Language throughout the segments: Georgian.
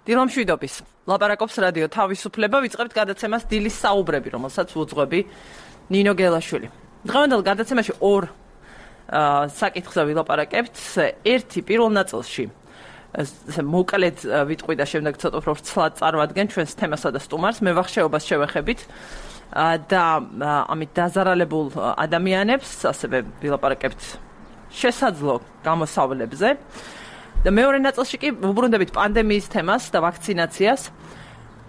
დილამშვიდობის. ლაპარაკობს რადიო თავისუფლება, ვიწყებთ გადაცემას დილის საუბრები, რომელსაც უძღვები ნინო გელაშვილი. დღევანდელ გადაცემაში ორ საკითხზე ვილაპარაკებთ. ერთი პირველ ნაწილში მოკლედ ვიტყვი და შემდეგ ცოტა უფრო ვრცლად წარვადგენ ჩვენს თემასა და სტუმარს, მევახშეობას შევეხებით და ამით დაზარალებულ ადამიანებს, ასევე ვილაპარაკებთ შესაძლო გამოსავლებზე. და მეორე ნაწილში კი ვუბრუნდებით პანდემიის თემას და ვაქცინაციას,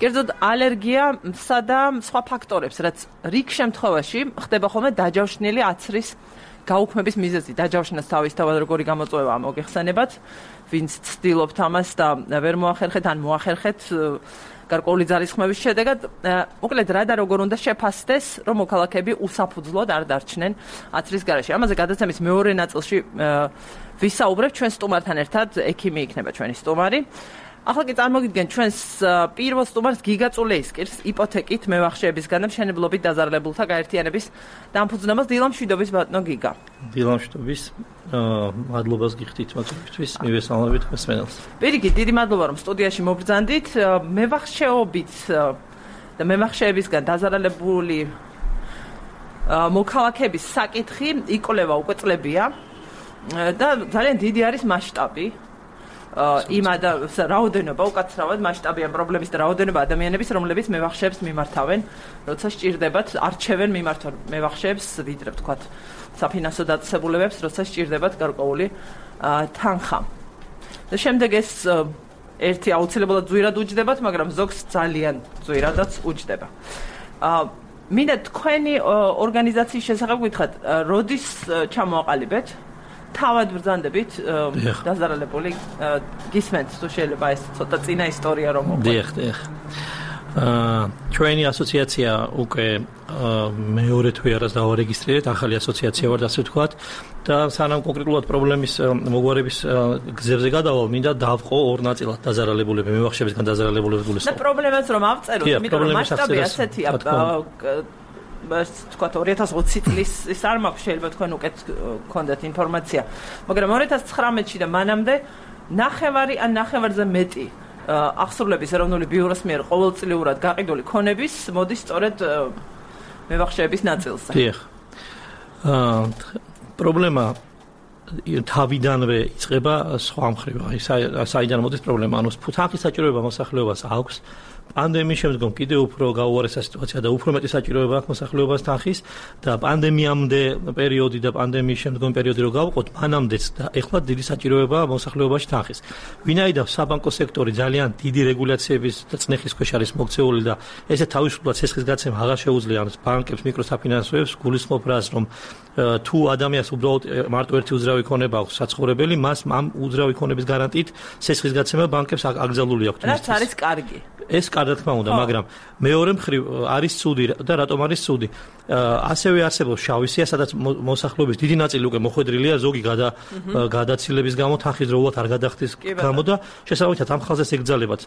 კერძოდ ალერგიასა და სხვა ფაქტორებს, რაც რიგ შემთხვევაში ხდება ხოლმე დაჯავშნილი აცრის გაუქმების მიზეზი. დაჯავშნას თავისთავად როგორი გამოწვევა მოგეხსენებათ, ვინც ცდილობთ ამას და ვერ მოახერხეთ ან მოახერხეთ გარკვეული ძალისხმევის შედეგად, მოკლედ რა და როგორ უნდა შეფასდეს, რომ მოქალაქეები უსაფუძვლოდ არ დარჩნენ აცრის გარეშე. ამაზე გადაცემის მეორე ნაწილში ვისაუბრებ ჩვენ სტუმართან ერთად, ექიმი იქნება ჩვენი სტუმარი. ახლა კი წარმოგიდგენ ჩვენს პირველ სტუმარს გიგა წულეისკირს, იპოთეკით მევახშეებისგან და მშენებლობით დაზარალებულთა გაერთიანების დამფუძნებას. დილამშვიდობის ბატონო გიგა. დილამშვიდობის. მადლობას გიხდით მოწვევისთვის, მივესალმებით მსმენელს. პირიქით, დიდი მადლობა რომ სტუდიაში მობრძანდით. მევახშეობით და მევახშეებისგან დაზარალებული მოქალაქეების საკითხი იკვლევა უკვე წლებია და ძალიან დიდი არის მასშტაბი. რაოდენობა, უკაცრავად მასშტაბიან პრობლემის და რაოდენობა ადამიანების, რომლებიც მევახშეებს მიმართავენ, როცა სჭირდებათ, არჩევენ მიმართვა მევახშეებს, ვიდრე ვთქვათ, საფინანსო დაწესებულებებს, როცა სჭირდებათ გარკვეული თანხა. და შემდეგ ეს ერთი აუცილებლად ძვირად უჯდებათ, მაგრამ ზოგს ძალიან ძვირადაც უჯდება. მინდა თქვენი ორგანიზაციის შესახებ გითხრათ, როდის ჩამოაყალიბეთ? თავად ბრძანდებით დაზარალებული გისმენთ თუ შეიძლება ეს ცოტა წინა ისტორია რომ მოყვეთ. დიახ. ჩვენი ასოციაცია უკვე მეორე თვე არას დავარეგისტრირეთ, ახალი ასოციაცია ვართ ასე ვთქვათ და სანამ კონკრეტულად პრობლემის მოგვარების გზებზე გადავალ, მინდა დავყო ორ ნაწილად დაზარალებულები, მევახშეებისგან დაზარალებულები. და პრობლემას რომ ავწეროთ, იმიტომ რომ მასშტაბი ასეთია, თქვათ 2020 წლის ის არ მაქვს, შეიძლება თქვენ უკეთ გქონდეთ ინფორმაცია, მაგრამ 2019-ში და მანამდე ნახევარი ან ნახევარზე მეტი აღსრულების ეროვნული ბიუროს მიერ ყოველწლიურად გაყიდული ქონების მოდის სწორედ მევახშეების ნაწილზე. დიახ. პრობლემა თავიდანვე იწყება სხვა მხრივ. საიდან მოდის პრობლემა? ანუ თანხის საჭიროება მოსახლეობას აქვს. პანდემიის შემდგომ კიდევ უფრო გაუარესა სიტუაცია და უფრო მეტი საჭიროება აქვს მოსახლეობას თანხის და პანდემიამდე პერიოდი და პანდემიის შემდგომ პერიოდი რო გავყოთ, მანამდეც და ეხლა დიდი საჭიროება მოსახლეობაში თანხის. ვინაიდან საბანკო სექტორი ძალიან დიდი რეგულაციების და წნეხის ქვეშ არის მოქცეული და ესე თავისუფლად ცესხის გაცემა აღარ შეუძლია ბანკებს, მიკროსაფინანსოებს გულისხმობ რას, რომ თუ ადამიანს უბრალოდ მარტო ერთი უძრავი ქონება აქვს საცხოვრებელი, მას ამ უძრავი ქონების გარანტიით ცესხის გაცემა ბანკებს აკრძალული აქვს. რაც არის კარგი. ეს კარგად თქმა უნდა, მაგრამ მეორე მხრივ არის ცუდი და რატომ არის ცუდი? ასევე არსებობს შავი სია, სადაც მოსახლეობის დიდი ნაწილი უკვე მოხვედრილია ზოგი გადაცილების გამო, თანხის დროულად არ გადახდის გამო და შესაბამისად ამ ხალხს ეგზალებათ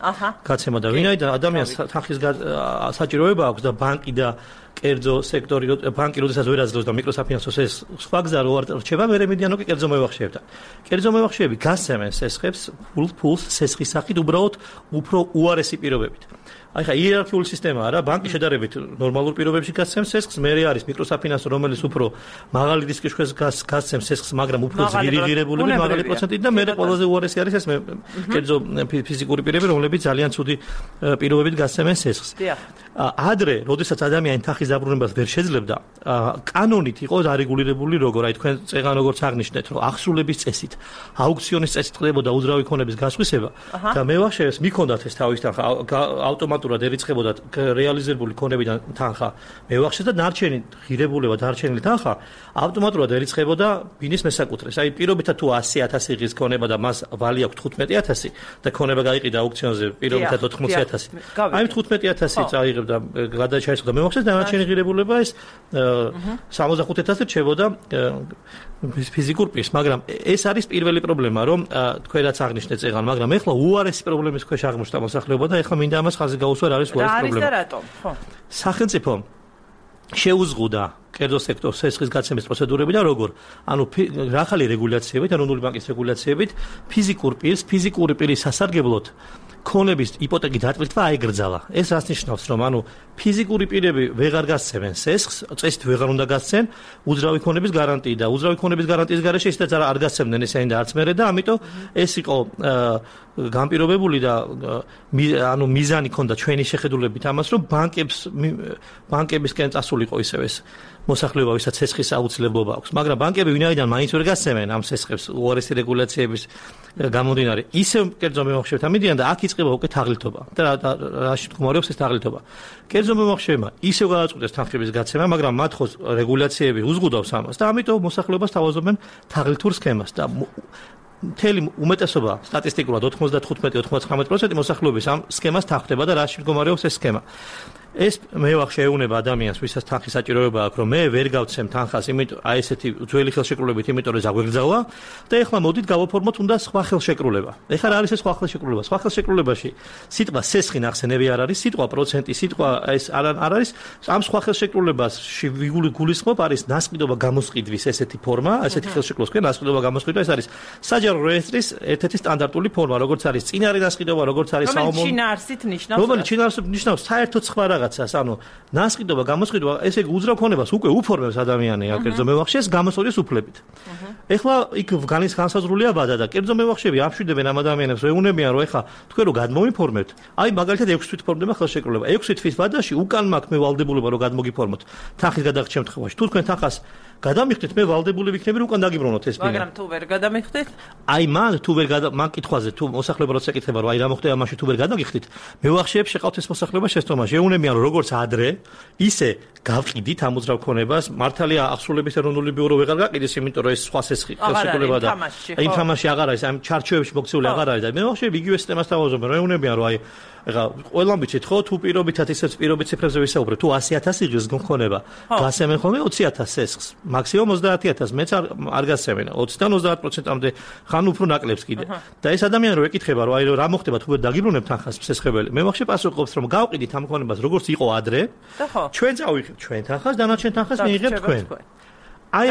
გაცემა და ვინაიდან ადამიანს თანხის საჭიროება აქვს და ბანკი და კერძო სექტორი, ბანკი როდესაც ვერ აძლევს და მიკროსაფინანსოს ეს სხვა გზა რო არ რჩება, მე მედიანო კი კერძო მევახშეებთან. კერძო მევახშეები გასცემენ სესხებს ფულს სესხის სახით უბრალოდ უფრო უარესი პირობებით. აი ხა იერარქიული სისტემა არა, ბანკი შედარებით ნორმალურ პირობებში გასცემს სესხს, მერე არის მიკროსაფინანსო, რომელიც უფრო მაღალი რისკის ქვეშ გასცემს სესხს, მაგრამ უფრო ძირიღირებულები, მაღალი პროცენტით და მერე ყველაზე უარესი არის ეს კერძო ფიზიკური პირები, რომლებიც ძალიან ცუდი პირობებით გასცემენ სესხს. ადრე, როდესაც ადამიანი თანხის დაბრუნებას ვერ შეძლებდა, კანონით იყო დარეგულირებული როგორ, აი თქვენ წეგან როგორც აღნიშნეთ, რომ აღსრულების წესით, აუქციონის წესით ხდებოდა უძრავი ქონების გასხვისება და მევახშეებს მიქონდათ ეს თავის თანხა ავტომატურად ერიცხებოდა რეალიზებული ქონებიდან თანხა მევახშეს და დარჩენი ღირებულება, დარჩენილი თანხა ავტომატურად ერიცხებოდა ბინის მესაკუთრეს. აი პირობითად თუ 100.000 იღის ქონება და მას ვალი აქვს 15.000 და ქონება გაიყიდა აუქციონზე პირობითად 80.000. აი 15.000 წაიღებდა გადაჩაისხდა მევახშეს და დარჩენი ღირებულება ეს 65.000 რჩებოდა ფიზიკურ პირს, მაგრამ ეს არის პირველი პრობლემა, რომ თქვენ რაც აღნიშნეთ წეგან, მაგრამ ეხლა უარესი პრობლემის ქვეშ აღმოჩნდა მოსახლეობა და ეხლა მინდა ამას ხაზი გაუსვა, არის უარესი პრობლემა. რა არის და რატომ? ხო. სახელმწიფო შეუზღუდა კერძო სექტორს სესხის გაცემის პროცედურები და როგორ? ანუ ახალი რეგულაციებით, ეროვნული ბანკის რეგულაციებით, ფიზიკური პირის სასარგებლოდ ქონების იპოთეკი დატვირთვა აიგრძალა. ეს რას ნიშნავს, რომ ანუ ფიზიკური პირები ვეღარ გასცემენ სესხს, წესით ვეღარ უნდა გასცენ უძრავი ქონების გარანტიი და უძრავი ქონების გარანტიის გარეშე ისედაც არ გასცემდნენ ესენი და არც მერე და ამიტომ ეს იყო განპირობებული და ანუ მიზანი ქონდა ჩვენი შეხედულებით ამას, რომ ბანკებისკენ წასულიყო ისევ ეს მოსახლეობა, ვისაც სესხის აუცილებლობა აქვს, მაგრამ ბანკები ვინაიდან მაინც ვერ გასცემენ ამ სესხებს უარესი რეგულაციების გამომდინარე, ისევ კერძო მემოხშეებთან მიდიან და აქ იწყება უკვე თაღლითობა. და რაში მდგომარეობს ეს თაღლითობა? კერძო მემოხშეებმა ისევ გადაწყვიტეს თანხების გაცემა, მაგრამ მათ ხო რეგულაციები უზღუდავს ამას და ამიტომ მოსახლეობას თავაზობენ თაღლითურ სქემას და მთელი უმეტესობა სტატისტიკურად 95-99% მოსახლეობის ამ სქემას თანხდება და რაში მდგომარეობს ეს სქემა. ეს მევახშე ეუნება ადამიანს, ვისაც თანხის საჭიროება აქვს, რომ მე ვერ გავცემ თანხას, იმიტომ აი ესეთი ძველი ხელშეკრულებით, იმიტომ რომ ზაგვეგრძალა და ეხლა მოდით გავაფორმოთ უნდა სხვა ხელშეკრულება. ეხლა რა არის ეს სხვა ხელშეკრულება? სხვა ხელშეკრულებაში სიტყვა სესხი ნახსენები არ არის, სიტყვა პროცენტი, სიტყვა ეს არ არის. ამ სხვა ხელშეკრულებაში გულისხმობ არის ნასყიდობა გამოსყიდვის ესეთი ფორმა, ესეთი ხელშეკრულების ქვია ნასყიდობა გამოსყიდვა, ეს არის საჯარო რეესტრის ერთ-ერთი სტანდარტული ფორმა, როგორც არის წინარე ნასყიდობა, როგორც არის საომონო. რომელიც შინაარსით ნიშნავს? რომელიც შინაარსით ნიშნავს საერთოდ სხვა რაღაცას, ანუ ნასყიდობა, გამოსყიდვა, ესე იგი უძრავ ქონებას უკვე უფორმებს ადამიანი აქ კერძო მევახშეს გამოსყიდვის უფლებით. ეხლა იქ განსაზღვრულია ვადა და კერძო მევახშები აფშვიდებენ ამ ადამიანებს, ეუნებიან, რომ ეხლა თქვენ რო გადმოიფორმებთ, აი მაგალითად 6 თვით ფორმდება ხელშეკრულება. 6 თვის ვადაში უკან მაქვს მე ვალდებულება რომ გადმოგიფორმოთ თანხის გადაღების შემთხვევაში. თუ თქვენ თანხას გადამიხდით, მე ვალდებული ვიქნები რომ უკან დაგიბრუნოთ ეს ბინა. მაგრამ თუ ვერ გადამიხდით? აი მან თუ ვერ მან კითხვაზე თუ მოსახლეობა როცა ეკითხება რომ აი რა მოხდება მაშინ თუ ვერ გადაგიხდით, მევახშეებს შეყავთ ეს მოსახლეობა შეცდომაში. ეუნებიან რომ როგორც ადრე, ისე გავყიდით ამ უძრავ ქონებას. მართალია აღსრულების ეროვნული ბიურო ვეღარ გაყიდეს, იმიტომ რომ ეს სხვა სესხი ხელშეკრულება და იმ თამაში აღარ არის, ამ ჩარჩოებში მოქცეული აღარ არის და მევახშეები იგივე სისტემას თავაზობენ, რომ ეუნებიან რომ აი ეხლა ყველამ ვიცით ხო თუ პირობითად ისეთ პირობით ციფრებზე ვისაუბრეთ, თუ 100.000 იღებს გქონება, გასცემენ ხოლმე 20.000 სესხს. მაქსიმუმ 30.000, მეც არ გასცემენ 20-დან 30%-მდე ხან უფრო ნაკლებს კიდე. და ეს ადამიანი რო ეკითხება რომ აი რა მოხდება თუ ვერ დაგიბრუნებ თანხას სესხებელი, მევახშე პასუხობს რომ გავყიდით ამ ქონებას როგორც იყო ადრე, ჩვენ წავიღებთ ჩვენ თანხას, დანარჩენ თანხას მიიღებთ თქვენ. აი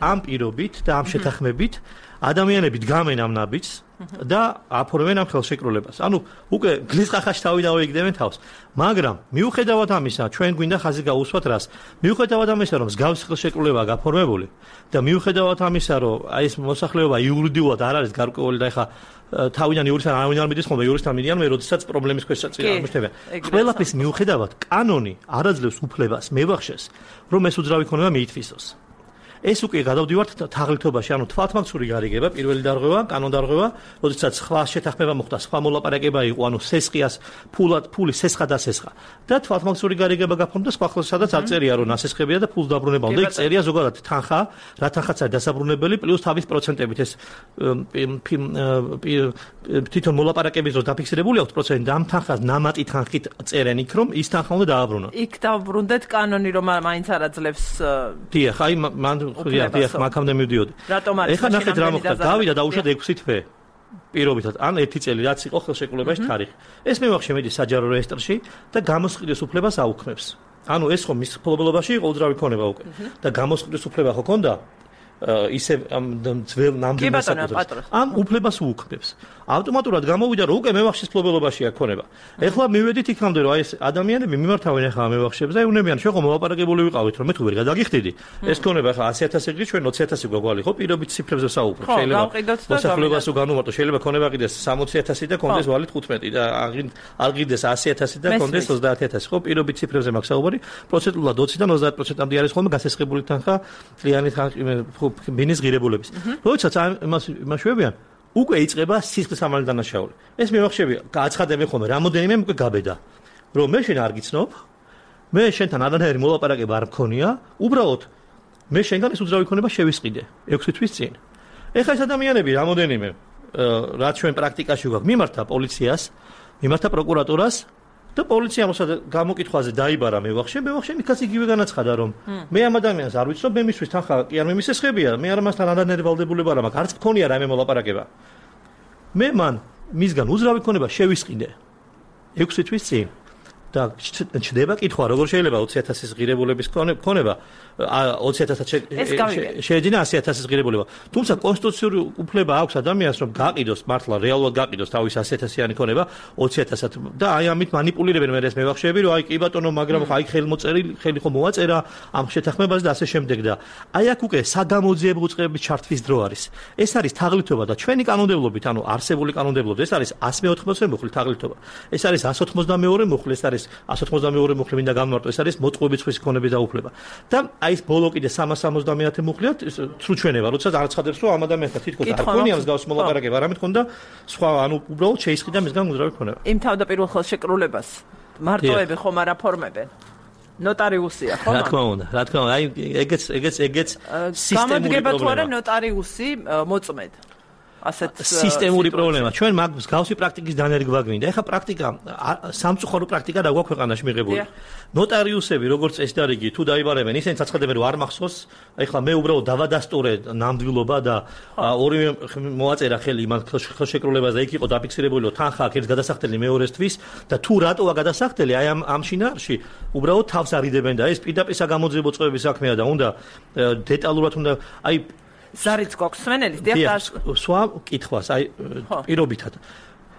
ამ პირობით და ამ შეთანხმებით ადამიანები დგამენ ამ ნაბიჯს და აფორმენ ამ ხელშეკრულებას. ანუ უკვე გლისყახაში თავი დავიგდებენ თავს. მაგრამ მიუხედავად ამისა, ჩვენ გვინდა ხაზი გაუსვათ რას? მიუხედავად ამისა, რომ მსგავსი ხელშეკრულებაა გაფორმებული და მიუხედავად ამისა, რომ აი ეს მოსახლეობა იურიდიულად არ არის გარკვეული და ეხა თავიდან იურისტთან არავინ არ მიდის ხოლმე, იურისტთან მიდიან მე, როდესაც პრობლემის ქვეშ აღმოჩნდება. ყველაფრის მიუხედავად, კანონი არ აძლევს უფლებას მევახშეს, რომ ეს უძრავი ქონება მიითვისოს. ეს უკვე გადავდივართ თაღლითობაში, ანუ თვალთმაგცური გარიგება, პირველი დარღვევა, კანონდარღვევა, როდესაც სხვა შეთანხმება მოხდა, სხვა მოლაპარაკება იყო, ანუ სესხიას ფული სესხა და სესხა. და თვალთმაგცური გარიგება გაფორმდა სხვა ხელს, სადაც არ წერია, რომ ნასესხებია და ფულს დაბრუნება. უნდა იქ წერია ზოგადად თანხა, რა თანხაც არის დასაბრუნებელი, პლუს თავის პროცენტებით ეს თვითონ მოლაპარაკების დროს დაფიქსირებული აქვს პროცენტი და ამ თანხას ნამატი თანხით წერენ იქ, რომ ის თანხა უნდა დააბრუნოს. იქ დავბრუნდეთ კანონი, რომ მაინც არ აძლევს. დიახ, აი მან დიახ, მაგამდე მივდიოდი. ეხლა ნახეთ რა მოხდა. გავიდა დაუშვათ 6 თვე. პირობითად, ან 1 წელი რაც იყო ხელშეკრულებაში თარიღი. ეს მევახშე მიდის საჯარო რეესტრში და გამოსყიდვის უფლებას აუქმებს. ანუ ეს ხო მის ფლობელობაში იყო უძრავი ქონება უკვე. და გამოსყიდვის უფლება ხო ქონდა? ისე ამ ძველ ნამდვილ საკუთრებას. ამ უფლებას უუქმნებს. ავტომატურად გამოვიდა რომ უკვე მევახშის ფლობელობაშია ქონება. ეხლა მივედით იქამდე რომ აი ეს ადამიანები მიმართავენ ახლა მევახშებს და ეუნებიან შენ ხო მოვაპარაკებული ვიყავით რომ მე თუ ვერ გადაგიხდიდი. ეს ქონება ახლა 100.000 იღრით ჩვენ 20.000 გვაგვალი ხო პირობით ციფრებზე ვსაუბრობ. შეიძლება მოსახლეობას უგანუმარტო შეიძლება ქონება ყიდეს 60.000 და კონდეს ვალით 15 და არ ყიდეს 100.000 და კონდეს 30.000 ხო პირობით ციფრებზე მაქვს საუბარი. პროცენტულად 20-დან 30%-მდე არის ხოლმე გასესხებული თანხა წლიანი ბინის ღირებულების. როდესაც იმას შევებიან უკვე იწყება სისხლის ამალი დანაშაული. ეს მევახშები გააცხადებენ ხოლმე რამოდენიმე უკვე გაბედა. რომ მე შენ არ გიცნობ, მე შენთან არანაირი მოლაპარაკება არ მქონია, უბრალოდ მე შენგან ეს უძრავი ქონება შევისყიდე 6 თვის წინ. ეხლა ეს ადამიანები რამოდენიმე რაც ჩვენ პრაქტიკაში გვაქვს, მიმართა პოლიციას, მიმართა პროკურატურას და პოლიცია მოსად გამოკითხვაზე დაიბარა მევახშე იქაც იგივე განაცხადა რომ მე ამ ადამიანს არ ვიცნობ, მე მისთვის თანხა კი არ მისესხებია, მე არ მასთან არანაირი ვალდებულება არ მაქვს, არც მქონია რაიმე მოლაპარაკება. მე მან მისგან უძრავი ქონება შევისყიდე 6 თვის წინ და ჩდება კითხვა, როგორ შეიძლება 20.000-ის ღირებულების ქონება 20.000 შეეძინა 100.000-ის ღირებულება. თუმცა კონსტიტუციური უფლება აქვს ადამიანს, რომ გაყიდოს მართლა რეალურად გაყიდოს თავის 100.000-იანი ქონება 20.000-ად და აი ამით манипуლირებენ მე ეს მევახშეები, რომ აი კი ბატონო, მაგრამ აი ხელი ხო მოაწერა ამ შეთანხმებას და ასე შემდეგ და აი აქ უკვე საგამოძიებო უწყებების ჩართვის დრო არის. ეს არის თაღლითობა და ჩვენი კანონმდებლობით, ანუ არსებული კანონმდებლობით, ეს არის 180 მუხლი თაღლითობა. ეს არის 182 მუხლი, ეს არის 182 მუხლი მინდა გამმარტო, ეს არის მოწყობილ ცხვრის ქონების დაუფლება. და აი ეს ბოლო კიდე 370 მუხლიათ ცრუჩვენება, როცა არ ცხადებს, რომ ამ ადამიანთან თითქოს არ ქონია მსგავს მოლაპარაკება, არამედ ქონდა სხვა, ანუ უბრალოდ შეისყიდა მისგან უძრავი ქონება. იმ თავდაპირველ ხელშეკრულებას მარტოები ხომ არ აფორმებენ? ნოტარიუსია, ხო? რა თქმა უნდა, აი ეგეც სისტემური პრობლემა. გამოდგება თუ არა ნოტარიუსი მოწმედ? ასეთ სისტემური პრობლემა. ჩვენ მაგ მსგავსი პრაქტიკის დანერგვა გვინდა. ეხლა პრაქტიკა სამწუხარო პრაქტიკა რა გვაქვს ქვეყანაში მიღებული. ნოტარიუსები როგორც წესდარიგი თუ დაიბარებენ, ისინი წაცხადებენ რომ არ მახსოვს. ეხლა მე უბრალოდ დავადასტურე ნამდვილობა და ორივე მოაწერა ხელი იმან ხელშეკრულებას და იქ იყო დაფიქსირებული რომ თანხა აქვს ერთ გადასახდელი მეორესთვის და თუ რატოა გადასახდელი აი ამ შინაარსში უბრალოდ თავს არიდებენ და ეს პირდაპირ საგამოძიებო წყობების საქმეა და უნდა დეტალურად უნდა აი ზარიც გვაქვს სვენელის დიახ სხვა კითხვას აი პირობითად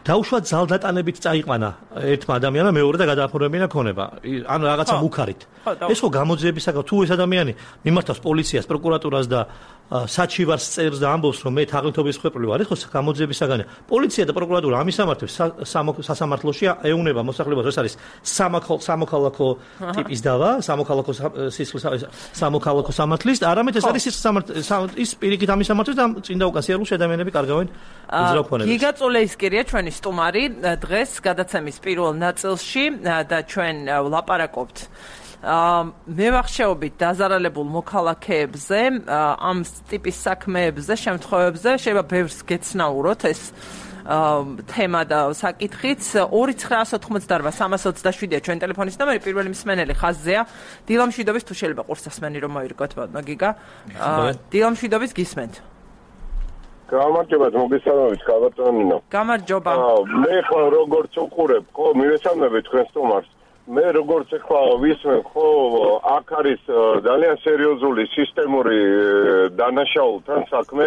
დაუშვათ ზალდატანებით წაიყვანა ერთმა ადამიანმა მეორე და გადააფორმებინა ქონება ანუ რაღაცა მუქარით ეს ხო გამოძიების საკითხი თუ ეს ადამიანი მიმართავს პოლიციას პროკურატურას და საჩივარს წერს და ამბობს რომ მე თაღლითობის ხვეპილი ვარ ეს ხო გამოძიების საგანია პოლიცია და პროკურატურა ამისამართებს სასამართლოში ეუნება მოსახლეობას ეს არის სამოქალაქო ტიპის დავა სამოქალაქო სამოქალაქო სამართლის და არამედ ეს არის ის პირიქით ამისამართებს და წინდა უკან სიარულში ადამიანები კარგავენ უძრავ ქონებას გიგაწოლე ის კირია ჩვენი სტუმარი დღეს გადაცემის პირველ ნაწილში და ჩვენ ვლაპარაკობთ მე ვახშეობით დაზარალებულ მოქალაქეებზე ამ ტიპის საქმეებზე შემთხვევებზე შეიძლება ბევრს გეცნაუროთ ეს თემა და საკითხიც 2988327-ია ჩვენ ტელეფონის ნომერი პირველი მსმენელი ხაზზეა დილამშვიდობის თუ შეიძლება ყურს ასმენი რომ მოირგოთ ბატონო გიგა დილამშვიდობის გისმენთ გამარჯობა მოგესალმებით კაბატონინო გამარჯობა მე ხო როგორც უყურებ ხო მივესალმებით თქვენ სტუმარს მე როგორც ახლა ვისმენ ხო აქ არის ძალიან სერიოზული სისტემური დანაშაულთან საქმე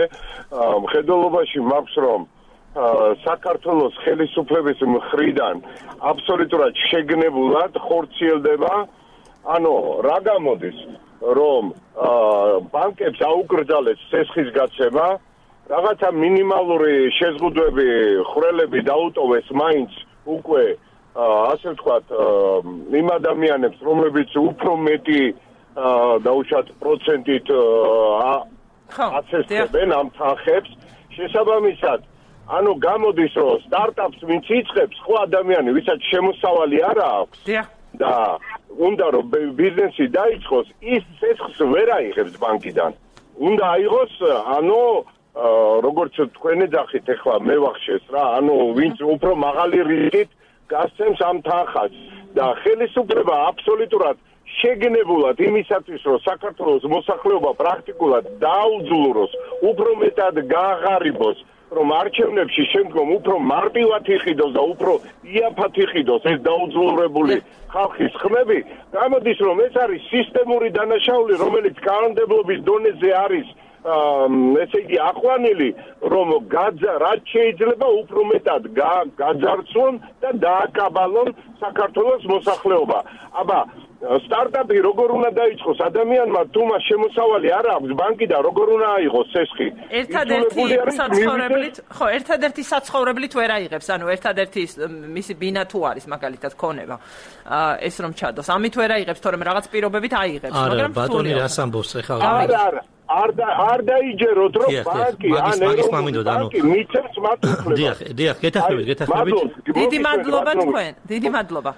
მხედველობაში მაქვს რომ საქართველოს ხელისუფლების მხრიდან აბსოლუტურად შეგნებულად ხორციელდება ანუ რა გამოდის რომ ბანკებს აუკრძალეს სესხის გაცემა რაღაცა მინიმალური შეზღუდვები ხვრელები დაუტოვეს მაინც უკვე ასე ვთქვათ იმ ადამიანებს რომლებიც უფრო მეტი დაუშვათ პროცენტით აცესებენ ამ თანხებს შესაბამისად ანუ გამოდის რომ სტარტაპს ვინც იწყებს ხო ადამიანი ვისაც შემოსავალი არ აქვს და უნდა რომ ბიზნესი დაიწყოს ის სესხს ვერ აიღებს ბანკიდან უნდა აიღოს ანუ როგორც თქვენ ეძახით ახლა მე ვახშეს რა ანუ ვინც უფრო მაღალი რისკით გასცემს ამ თანხას და ხელისუფლება აბსოლუტურად შეგნებულად იმისათვის რომ საქართველოს მოსახლეობა პრაქტიკულად დაუძლუროს უფრო მეტად გააღარიბოს რომ არჩევნებში შემდგომ უფრო მარტივად იყიდოს და უფრო იაფად იყიდოს ეს დაუძლურებული ხალხის ხმები გამოდის რომ ეს არის სისტემური დანაშაული რომელიც კანონმდებლობის დონეზე არის ესე იგი აყვანილი რომ რაც შეიძლება უფრო მეტად გაძარცვონ და დააკაბალონ საქართველოს მოსახლეობა აბა სტარტაპი როგორ უნდა დაიწყოს ადამიანმა თუ მას შემოსავალი არ აქვს ბანკიდან როგორ უნდა აიღოს სესხი ერთადერთი საცხოვრებლით ვერ აიღებს ანუ ერთადერთი მისი ბინა თუ არის მაგალითად ქონება ეს რომ ჩადოს ამით ვერ აიღებს თორემ რაღაც პირობებით აიღებს მაგრამ ბატონი რას ამბობს ახლა არ დაიჯეროთ რომ ბანკი მაგის მამინდოდ ანუ მიცემს მათ უფლებას დიახ გეთახმებით დიდი მადლობა თქვენ დიდი მადლობა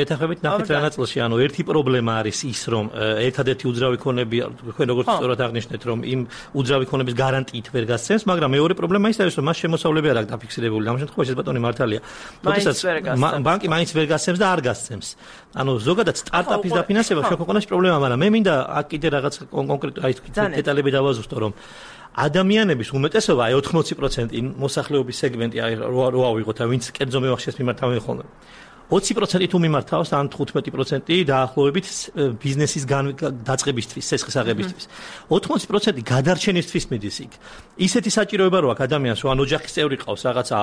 გეთახმებით ნახეთ რა ნაწილში ანუ ერთი პრობლემა არის ის რომ ერთადერთი უძრავი ქონები თქვენ როგორც სწორად აღნიშნეთ რომ იმ უძრავი ქონების გარანტიით ვერ გასცემს მაგრამ მეორე პრობლემა ის არის რომ მას შემოსავლები არ აქვს დაფიქსირებული ამ შემთხვევაში ბატონი მართალია თუმცა ბანკი მაინც ვერ გასცემს და არ გასცემს ანუ ზოგადად სტარტაპის დაფინანსება შეგვეყოლოს პრობლემა მაგრამ მე მინდა აქ კიდე რაღაც კონკრეტული აი დეტალები დავაზუსტო რომ ადამიანების უმეტესობა აი 80% მოსახლეობის სეგმენტი აი რო ავიღოთ ვინც კერძო მევახშეს მიმართავენ ხოლმე 20% თუ მიმართავს ან 15% დაახლოებით ბიზნესის დაწყებისთვის, სესხის აღებისთვის. 80% გადარჩენისთვის მიდის იქ. ისეთი საჭიროება რო აქვს ადამიანს, ან ოჯახის წევრი ყავს, რაღაცა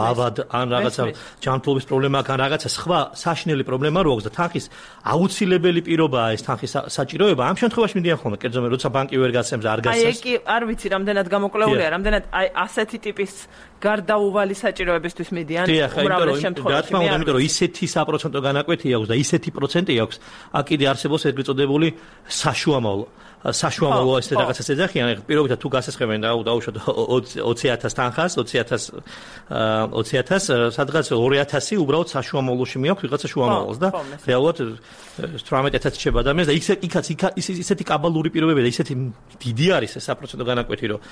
ავად, ან რაღაცა ჯანმრთელობის პრობლემა აქვს, ან რაღაცა სხვა საშინელი პრობლემა რო აქვს და თანხის აუცილებელი პირობაა ეს თანხის საჭიროება. ამ შემთხვევაში მიდიან ხოლმე, კერძო როცა ბანკი ვერ გასცემს, არ გასცემს. აი, კი, არ ვიცი, რამდენად გამოკლეულია, რამდენად აი ასეთი ტიპის გარდაუვალი საჭიროებისთვის მიდიან უმრავლეს შემთხვევაში. რა თქმა უნდა, იმიტომ რომ ისეთი საპროცენტო განაკვეთი აქვს და ისეთი პროცენტი აქვს, აქ კიდე არსებობს ეგრეთ წოდებული საშუამავლო ესე რაღაცას ეძახიან, პირობითად თუ გასესხებენ დაუშვათ 20,000 თანხას, 20,000 სადღაც 2,000 უბრალოდ საშუამავლოში მიაქვს ვიღაცა შუამავლს და რეალურად 18,000 შეება ადამიანს და იქაც ისეთი კაბალური პირობები და ისეთი დიდი არის ეს საპროცენტო განაკვეთი, რომ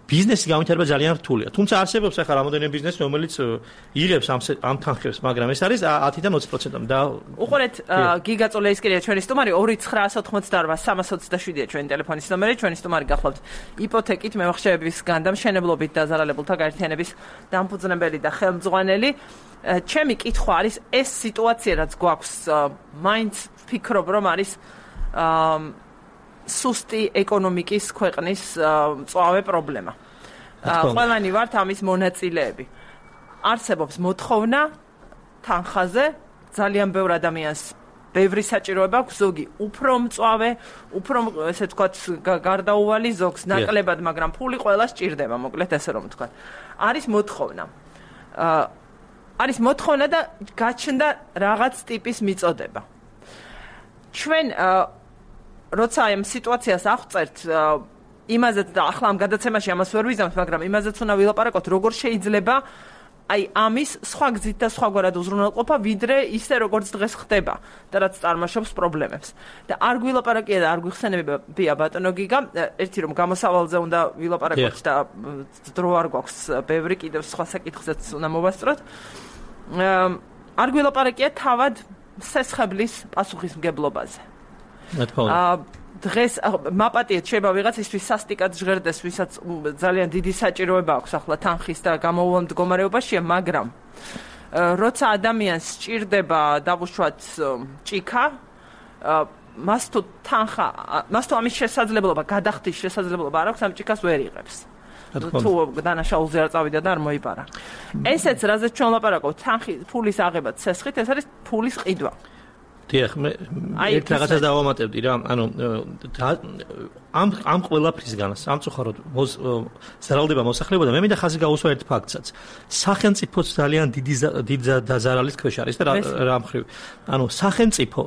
ბიზნესი განვითარება ძალიან რთულია. თუმცა არსებობს ახლა რამოდენიმე ბიზნესი, რომელიც იღებს ამ თანხებს, მაგრამ ეს არის 10-დან 20%-ამდე და უყურეთ გიგა წოლეისკირია ჩვენი სტუმარი 2988-327-ია ჩვენი ტელეფონის ნომერი, ჩვენი სტუმარი გახლავთ იპოთეკით მემახსოვრების განდამშენებლობით დაზარალებულთა გაერთიანების დამფუძნებელი და ხელმძღვანელი. ჩემი კითხვა არის ეს სიტუაცია რაც გვაქვს მაინც ვფიქრობ რომ არის სუსტი ეკონომიკის ქვეყნის მწვავე პრობლემა. ყველანი ვართ ამის მონაწილეები. არსებობს მოთხოვნა თანხაზე, ძალიან ბევრ ადამიანს ბევრი საჭიროება აქვს, ზოგი უფრო მწვავე, უფრო ესე ვთქვათ გარდაუვალი, ზოგს ნაკლებად, მაგრამ ფული ყველას ჭირდება, მოკლედ ესე რომ ვთქვათ. არის მოთხოვნა და გაჩნდა რაღაც ტიპის მიწოდება. ჩვენ როცა ამ სიტუაციას აღწერთ იმაზეც და ახლა ამ გადაცემაში ამას ვერ ვიზამთ, მაგრამ იმაზეც უნდა ვილაპარაკოთ, როგორ შეიძლება აი ამის სხვა გზით და სხვაგვარად უზრუნველყოფა, ვიდრე ისე როგორც დღეს ხდება და რაც წარმოშობს პრობლემებს. და არ გვილაპარაკია და არ გვიხსენებია ბატონო გიგა, ერთი რომ გამოსავალზე უნდა ვილაპარაკოთ და დრო არ გვაქვს, ბევრი კიდევ სხვა საკითხზეც უნდა მოვასწროთ. არ გვილაპარაკია თავად სესხებლის პასუხისმგებლობაზე. დღეს მაპატიეთ შეიძლება ვიღაცისთვის სასტიკად ჟღერდეს, ვისაც ძალიან დიდი საჭიროება აქვს ახლა თანხის და გამოუვალ მდგომარეობაშია, მაგრამ როცა ადამიანს სჭირდება დავუშვათ ჭიქა, მას თუ ამის შესაძლებლობა, გადახდის შესაძლებლობა არ აქვს, ამ ჭიქას ვერ იღებს. თუ დანაშაულზე არ წავიდა და არ მოიპარა. ესეც რაზეც ჩვენ ვლაპარაკობთ, ფულის აღება სესხით, ეს არის ფულის ყიდვა. დიახ, მე ერთ რაღაცას დავამატებდი რა, ანუ ამ ყველაფრისგან სამწუხაროდ ზარალდება მოსახლეობა და მე მინდა ხაზი გაუსვა ერთ ფაქტსაც. სახელმწიფოც ძალიან დიდი დაზარალის ქვეშ არის და რა მხრივ. ანუ სახელმწიფო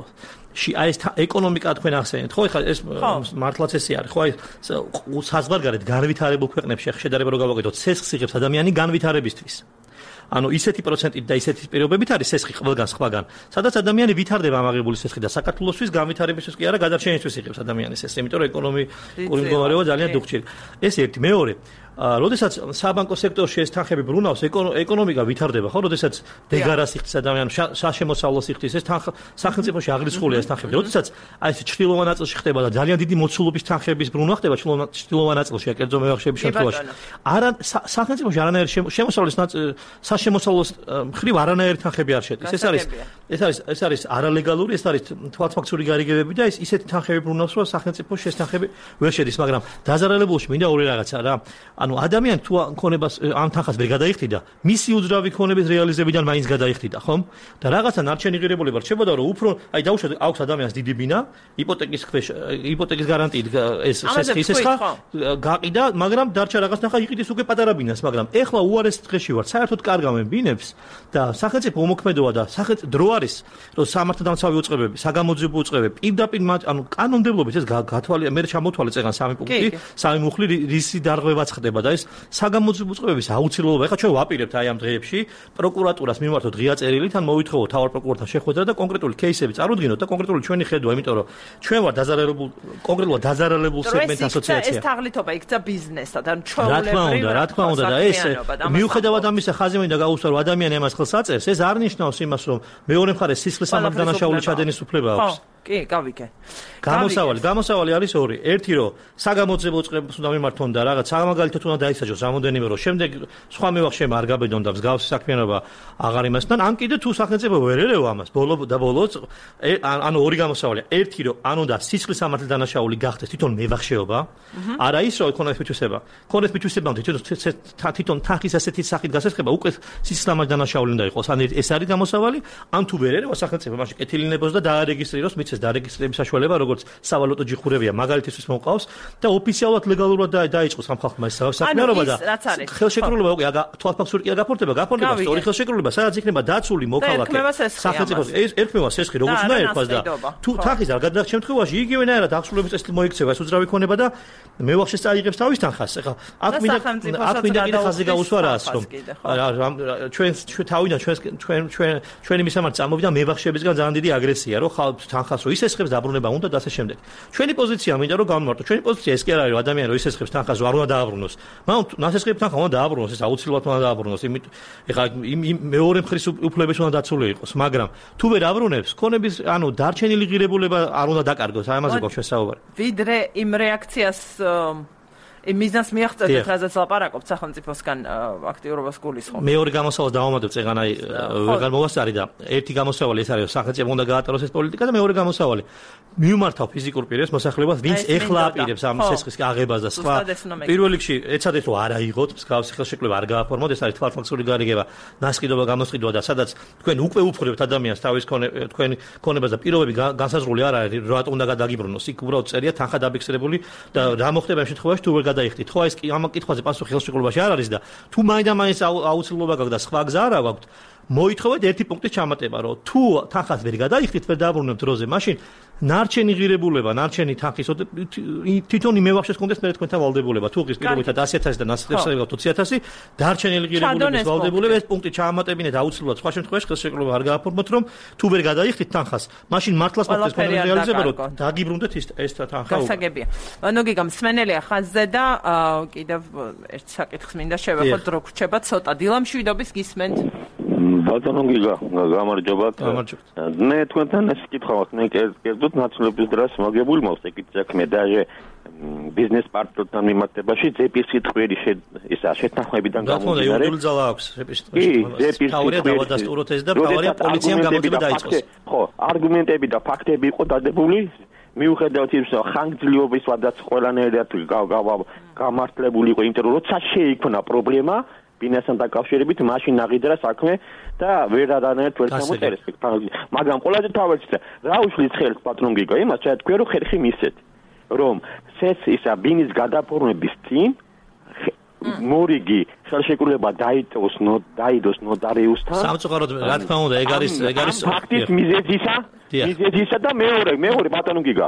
აი ეს ეკონომიკა თქვენ ახსენეთ, ხო, ეხლა ეს მართლაც ესე არის, ხო, აი საზღვარგარეთ განვითარებულ ქვეყნებში შედარება რო გავაკეთოთ, სესხს იღებს ადამიანი განვითარებისთვის. ანუ ისეთი პროცენტით და ისეთი პირობებით არის სესხი ყველგან სხვაგან, სადაც ადამიანი ვითარდება ამ აღებული სესხი და საქართველოსთვის განვითარებისთვის კი არა, გადარჩენისთვის იღებს ადამიანის ეს, იმიტომ რომ ეკონომიკური მდგომარეობა ძალიან დუხჭირ. ეს ერთი, მეორე, როდესაც საბანკო სექტორში ეს თანხები ბრუნავს, ეკონომიკა ვითარდება, ხო, როდესაც დეგარას იხდის ადამიანი, საშემოსავლოს იხდის, ეს სახელმწიფოში აღრიცხულია ეს თანხები. როდესაც აი ეს ჩრდილოვან ნაწილში ხდება და ძალიან დიდი მოცულობის თანხების ბრუნვა ხდება ჩრდილოვან ნაწილში, კერძო მევახშეების შემთხვევაში. არა სახელმწიფოში არანაირი შემოსავლის საშემოსავლოს მხრივ არანაირი თანხები არ შედის. ეს არის არალეგალური, ეს არის თვალთვაქციური გარიგებები და ისეთი თანხები ბრუნავს, რომ სახელმწიფოში ეს თანხები ვერ შედის, მაგრამ დაზარალებულში მინდა ორი რაღაცა რა. ანუ ადამიანი თუ ქონებას ამ თანხას ვერ გადაიხდიდა, მისი უძრავი ქონების რეალიზებიდან მაინც გადაიხდიდა, ხომ? და რაღაცა ნარჩენი ღირებულება რჩებოდა, რომ უფრო აი დაუშვათ აქვს ადამიანს დიდი ბინა, იპოთეკის გარანტიით ეს სესხა გაყიდა, მაგრამ დარჩა რაღაც ნახა იყიდეს უკვე პატარა ბინას, მაგრამ ეხლა უარეს დღეში ვარ, საერთოდ კარგავენ ბინებს და სახელმწიფო უმოქმედოა და დრო არის, რომ სამართალდამცავი უწყებები, საგამოძიებო უწყებები პირდაპირ ანუ კანონმდებლობით ეს გათვალე, მე ჩამოთვალე წეგან 3 პუნქტი, 3 მუხლი რისი დარღვევაც ხდება და ეს საგამოძიებო უწყებების აუცილებლობა. ეხლა ჩვენ ვაპირებთ აი ამ დღეებში პროკურატურას მიმართოთ ღია წერილით, ან მოვითხოვოთ თავარ პროკურორთან შეხვედრა და კონკრეტული кейსები წარუდგინოთ და კონკრეტული ჩვენი ხედვა, იმიტომ რომ ჩვენ ვარ კონკრეტულად დაზარალებულ სეგმენტ ასოციაცია. ეს თაღლითობა იქცა ბიზნესად, ან ჩვეულებრივ. რა თქმა უნდა და ეს მიუხედავად ამისა ხაზი მინდა გაუსვა, რომ ადამიანი ამას ხელს აწერს, ეს არ ნიშნავს იმას, რომ მეორე მხარეს სისხლის სამართალდანაშაული ჩადენის უფლება აქვს. კი, გავიგე. გამოსავალი არის ორი. ერთი რომ საგამოძიებო წყებას უნდა მიმართონ და რაღაც სამაგალითოდ უნდა დაისაჯოს რამოდენიმე რომ შემდეგ სხვა მევახშემა არ გაბედონ და მსგავსი საქმიანობა აღარ იმასთან, ან კიდე თუ სახელმწიფო ვერ ერევა ამას, ბოლოს ანუ ორი გამოსავალია. ერთი რომ ან უნდა სისხლის სამართლის დანაშაული გახდეს თვითონ მევახშეობა, არა ის რომ ქონდეს მითვისება. ქონდეს მითვისებამდე თვითონ თანხის ასეთი სახით გასესხება უკვე სისხლის სამართლის დანაშაული უნდა იყოს. ან ეს არის გამოსავალი, ან თუ ვერ ერევა სახელმწიფო მაშინ კეთილინებოს და დაარეგისტრიროს, მიცეს დარეგისტრირების საშუალება როგორც სავალუტო ჯიხურებია მაგალითისთვის მოყავს და ოფიციალურად ლეგალურად დაიწყოს ამ ხალხმა ეს საქმიანობა და ხელშეკრულება უკვე თვალფასური კი გაფორმდება სწორი ხელშეკრულება სადაც იქნება დაცული მოქალაქე სახელმწიფოს ერქმევა სესხი როგორც უნდა ერქვას და თუ თანხის არ გადადახ შემთხვევაში იგივენაირად აღსრულების წესით მოიქცევა ეს უძრავი ქონება და მევახშეს წაიღებს თავის თანხას ეხლა აქ მინდა კიდე ხაზი გაუსვარაას რომ ჩვენი მისამართი წამოვიდა მევახშებისგან ძალიან დიდი აგრესია რომ თანხას რო ისესხებს დაბრუნება უნდა და ასე შემდეგ. ჩვენი პოზიცია მინდა რომ გავმარტო. ჩვენი პოზიცია ეს კი არ არის რომ ადამიანი რო ისესხებს თანხას რო არ უნდა დააბრუნოს. მაგრამ ნასესხები თანხა უნდა დააბრუნოს, ეს აუცილებლად უნდა დააბრუნოს. ეხლა მეორე მხრის უფლებები უნდა დაცული იყოს, მაგრამ თუ ვერ აბრუნებს, ქონების ანუ დარჩენილი ღირებულება არ უნდა დაკარგოს. აი ამაზე გვაქვს საუბარი. ვიდრე იმ რეაქციას მიზანს მიაღწევთ, რაზეც ლაპარაკობთ სახელმწიფოსგან აქტიურობას გულისხმობ. მეორე გამოსავალს დავამატებ წეგანაი ვეღარ მოვასწარი და ერთი გამოსავალი ეს არის სახელმწიფო უნდა გაატაროს ეს პოლიტიკა და მეორე გამოსავალი მიუმართავ ფიზიკურ პირებს მოსახლეობას, ვინც ეხლა აპირებს ამ სესხის აღებას და სხვა. პირველ რიგში ეცადეთ რომ არ აიღოთ, მსგავსი ხელშეკრულება არ გააფორმოთ, ეს არის თვალფასური გარიგება, ნასყიდობა გამოსყიდვა და სადაც თქვენ უკვე უფრებთ ადამიანს თავის თქვენი ქონებას და პირობები განსაზღვრული არ არის, რატომ უნდა გადაგიბრუნოს. იქ უბრალოდ წერია თანხა დაფიქსირებული და რა მოხდება იმ შემთხვევაში თუ ვერ გადაიხდით. ხო, ეს ამ კითხვაზე პასუხი ხელშეკრულებაში არ არის და თუ მაინდა-მაინც აუცილებლობა გაქვს და სხვა გზა არა გაქვთ, მოითხოვეთ ერთი პუნქტის ჩამატება, რომ თუ თანხას ვერ გადაიხდით, ვერ დააბრუნებთ დროზე, მაშინ ნარჩენი ღირებულება, ნარჩენი თანხის თვითონ იმევახშეს კონდეს მე თქვენთან ვალდებულება. თუ ღირს პირობითად 100,000 და ნასწრაფსა გაქვთ 20,000, დარჩენილი ღირებულების ვალდებულება ეს პუნქტი ჩაამატებინეთ აუცილებლად. სხვა შემთხვევაში ხელშეკრულება არ გააფორმოთ, რომ თუ ვერ გადაიხდით თანხას, მაშინ მართლაც მოხდეს კონკრეტიზება, რომ დაგიბრუნდეთ ეს თანხა. გასაგებია. ანუ გიგა მსმენელია ხაზზე და კიდევ ერთ საკითხს მინდა შევეხოთ, რო გრჩება ცოტა დილამშვიდობის გისმენთ. ბატონო გიგა, გამარჯობათ. მე თქვენთან ეს კითხვა მაქვს, მე კერძოდ ნაცვლობის დროს მოგებული მაქვს ეგეთ საქმე და ბიზნეს პარტნიორთან მიმართებაში ზეპის სიტყვიერი ისა შეთანხმებიდან გამომდინარე. გახმოვდა იურიდიული ძალა აქვს ზეპის სიტყვიერი. თავია დავადასტუროთ ეს და თავია პოლიციამ გამოძიება დაიწყოს. ხო, არგუმენტები და ფაქტები იყო დადებული. მიუხედავად იმისა, ხანგრძლივობის ვადაც ყველანაირად გამართლებული იყო, იმიტომ რომ როცა შეიქმნა პრობლემა ბინასთან დაკავშირებით მაშინ აღიძრა საქმე და ვერ არანაირად ვერ ჩამოწერეს. მაგრამ ყველაზე თავარჩია რა უშლის ხელს პატრონ გიგა იმას თქვენ რომ ხერხი მისცეთ რომ ისა ბინის გადაფორმების წინ მორიგი ხელშეკრულება დაიდოს ნოტარიუსთან. სამწუხაროდ რა თქმა უნდა ეგ არის ფაქტის მიზეზისა და მეორე პატრონ გიგა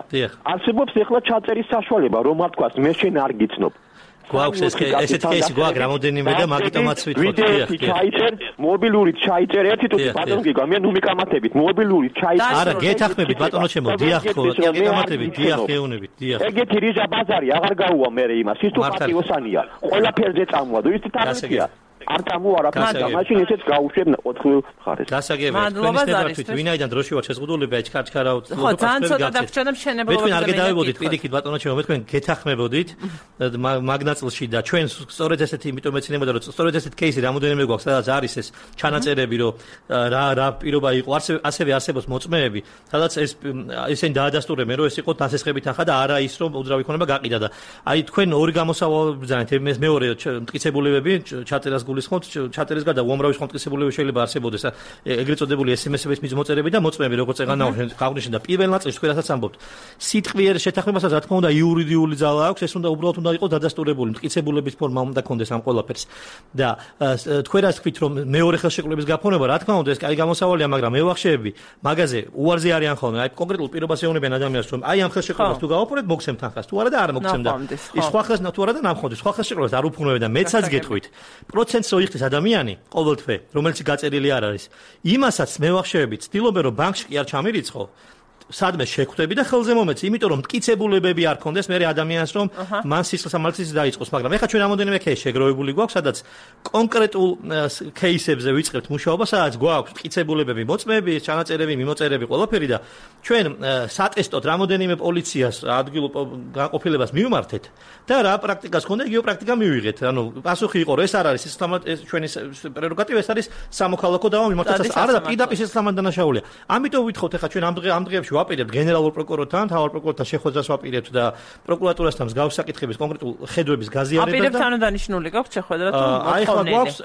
არსებობს ეხლა ჩაწერის საშუალება რომ არ თქვას მე შენ არ გიცნობ. გვაქვს ესეთი кейსი გვაქვს რამოდენიმე და მაგიტომაც ვითხოვთ. მობილური ჩაიწერე ერთი თუ ბატონო გიგა მე ნუ მიკამათებით მობილური ჩაიწერე. არა გეთახმებით ბატონო ჩემო დიახ ხო გეკამათებით დიახ გეუნებით დიახ. ეგეთი რიზა ბაზარი აღარ გაუვა მე იმას ის თუ პატიოსანია ყველაფერზე წამოვა და ის თამაშია. არ წამოარა ფაქტა მაშინ ესეც გაუშვებ 4 მხარეს. გასაგებია თქვენი ნებართვით ვინაიდან დროში ვარ შეზღუდულები ჩქარჩქარავთ. ხო ძალიან ცოტა დაგჭირდა მშენებლობაზე. მე თქვენ არ გადავებოდით პირიქით ბატონო ჩემო მე თქვენ გეთახმებოდით მაგნაწილში და ჩვენ სწორედ ესეთი იმიტომ ეცინებოდა რომ სწორედ ესეთი кейსი რამოდენიმე გვაქვს სადაც არის ეს ჩანაწერები რომ რა პირობა იყო ასევე არსებობს მოწმეები სადაც ესენი დაადასტურებენ რომ ეს იყო დასესხები თანხა და არა ის რომ უძრავი ქონება გაყიდა და აი თქვენ ორი გამოსავალი ბრძანეთ მეორე მტკიცებულებები ჩაწერას გულისხმობთ ჩატერის გარდა უამრავი მტკიცებულები შეიძლება არსებობდეს ეგრეთ წოდებული SMS-ების მიწმოწერები და მოწმეები როგორც ეგანა აღნიშნე და პირველ ნაწილში თქვენ რასაც ამბობთ სიტყვიერ შეთანხმებასაც რა თქმა უნდა იურიდიული ძალა აქვს ეს უნდა უბრალოდ უნდა იყოს დადასტურებული მტკიცებულების ფორმა უნდა კონდეს ამ ყველაფერს და თქვენ რაც თქვით რომ მეორე ხელშეკრულების გაფორმება რა თქმა უნდა ეს კაი გამოსავალია მაგრამ მევახშეები მაგაზე უარზე არიან ხოლმე აი კონკრეტულ პირობას ეუბნებიან ადამიანს რომ აი ამ ხელშეკრულებას თუ გავაფორმეთ მოგცემთ თანხას თუ არა და არ მოგცემ და ის სხვა ხელს თუ არა და ნამხოდი სხვა ხელშეკრულებას არ უფრინებენ და მეცაც გეტყვით პროცენტს რო იხდის ადამიანი ყოველთვე რომელიც გაწერილი არ არის იმასაც მევახშეები ცდილობენ რომ ბანკში კი არ ჩამირიცხო სადმე შეხვდები და ხელზე მომეცი, იმიტომ რომ მტკიცებულებები არ ქონდეს მე ადამიანს რომ მან სისხლისამართლიც დაიწყოს, მაგრამ ეხლა ჩვენ რამოდენიმე кейსი შეგროვებული გვაქვს, სადაც კონკრეტულ кейსებზე ვიწყებთ მუშაობა, სადაც გვაქვს მტკიცებულებები, მოწმეები, ჩანაწერები, მიმოწერები, ყველაფერი და ჩვენ სატესტოდ რამოდენიმე პოლიციას ადგილ განყოფილებას მივმართეთ და რა პრაქტიკას ქონდა, იგივე პრაქტიკა მივიღეთ. ანუ პასუხი იყო, ეს არ არის ჩვენი პრეროგატივა, ეს არის სამოქალაქო დავა მიმართած არა და პირდაპირ სისხლისამართლე დანაშაულია. ამიტომ ვითხოვთ ეხლა ჩვენ ამ დღეებში ვაპირებთ გენერალურ პროკურორთან, მთავარ პროკურორთან შეხვედრას ვაპირებთ და პროკურატურასთან მსგავსი საკითხების კონკრეტულ ხედვების გაზიარებას და აპირებთ თანადანიშნული გაქვთ შეხვედრა თუ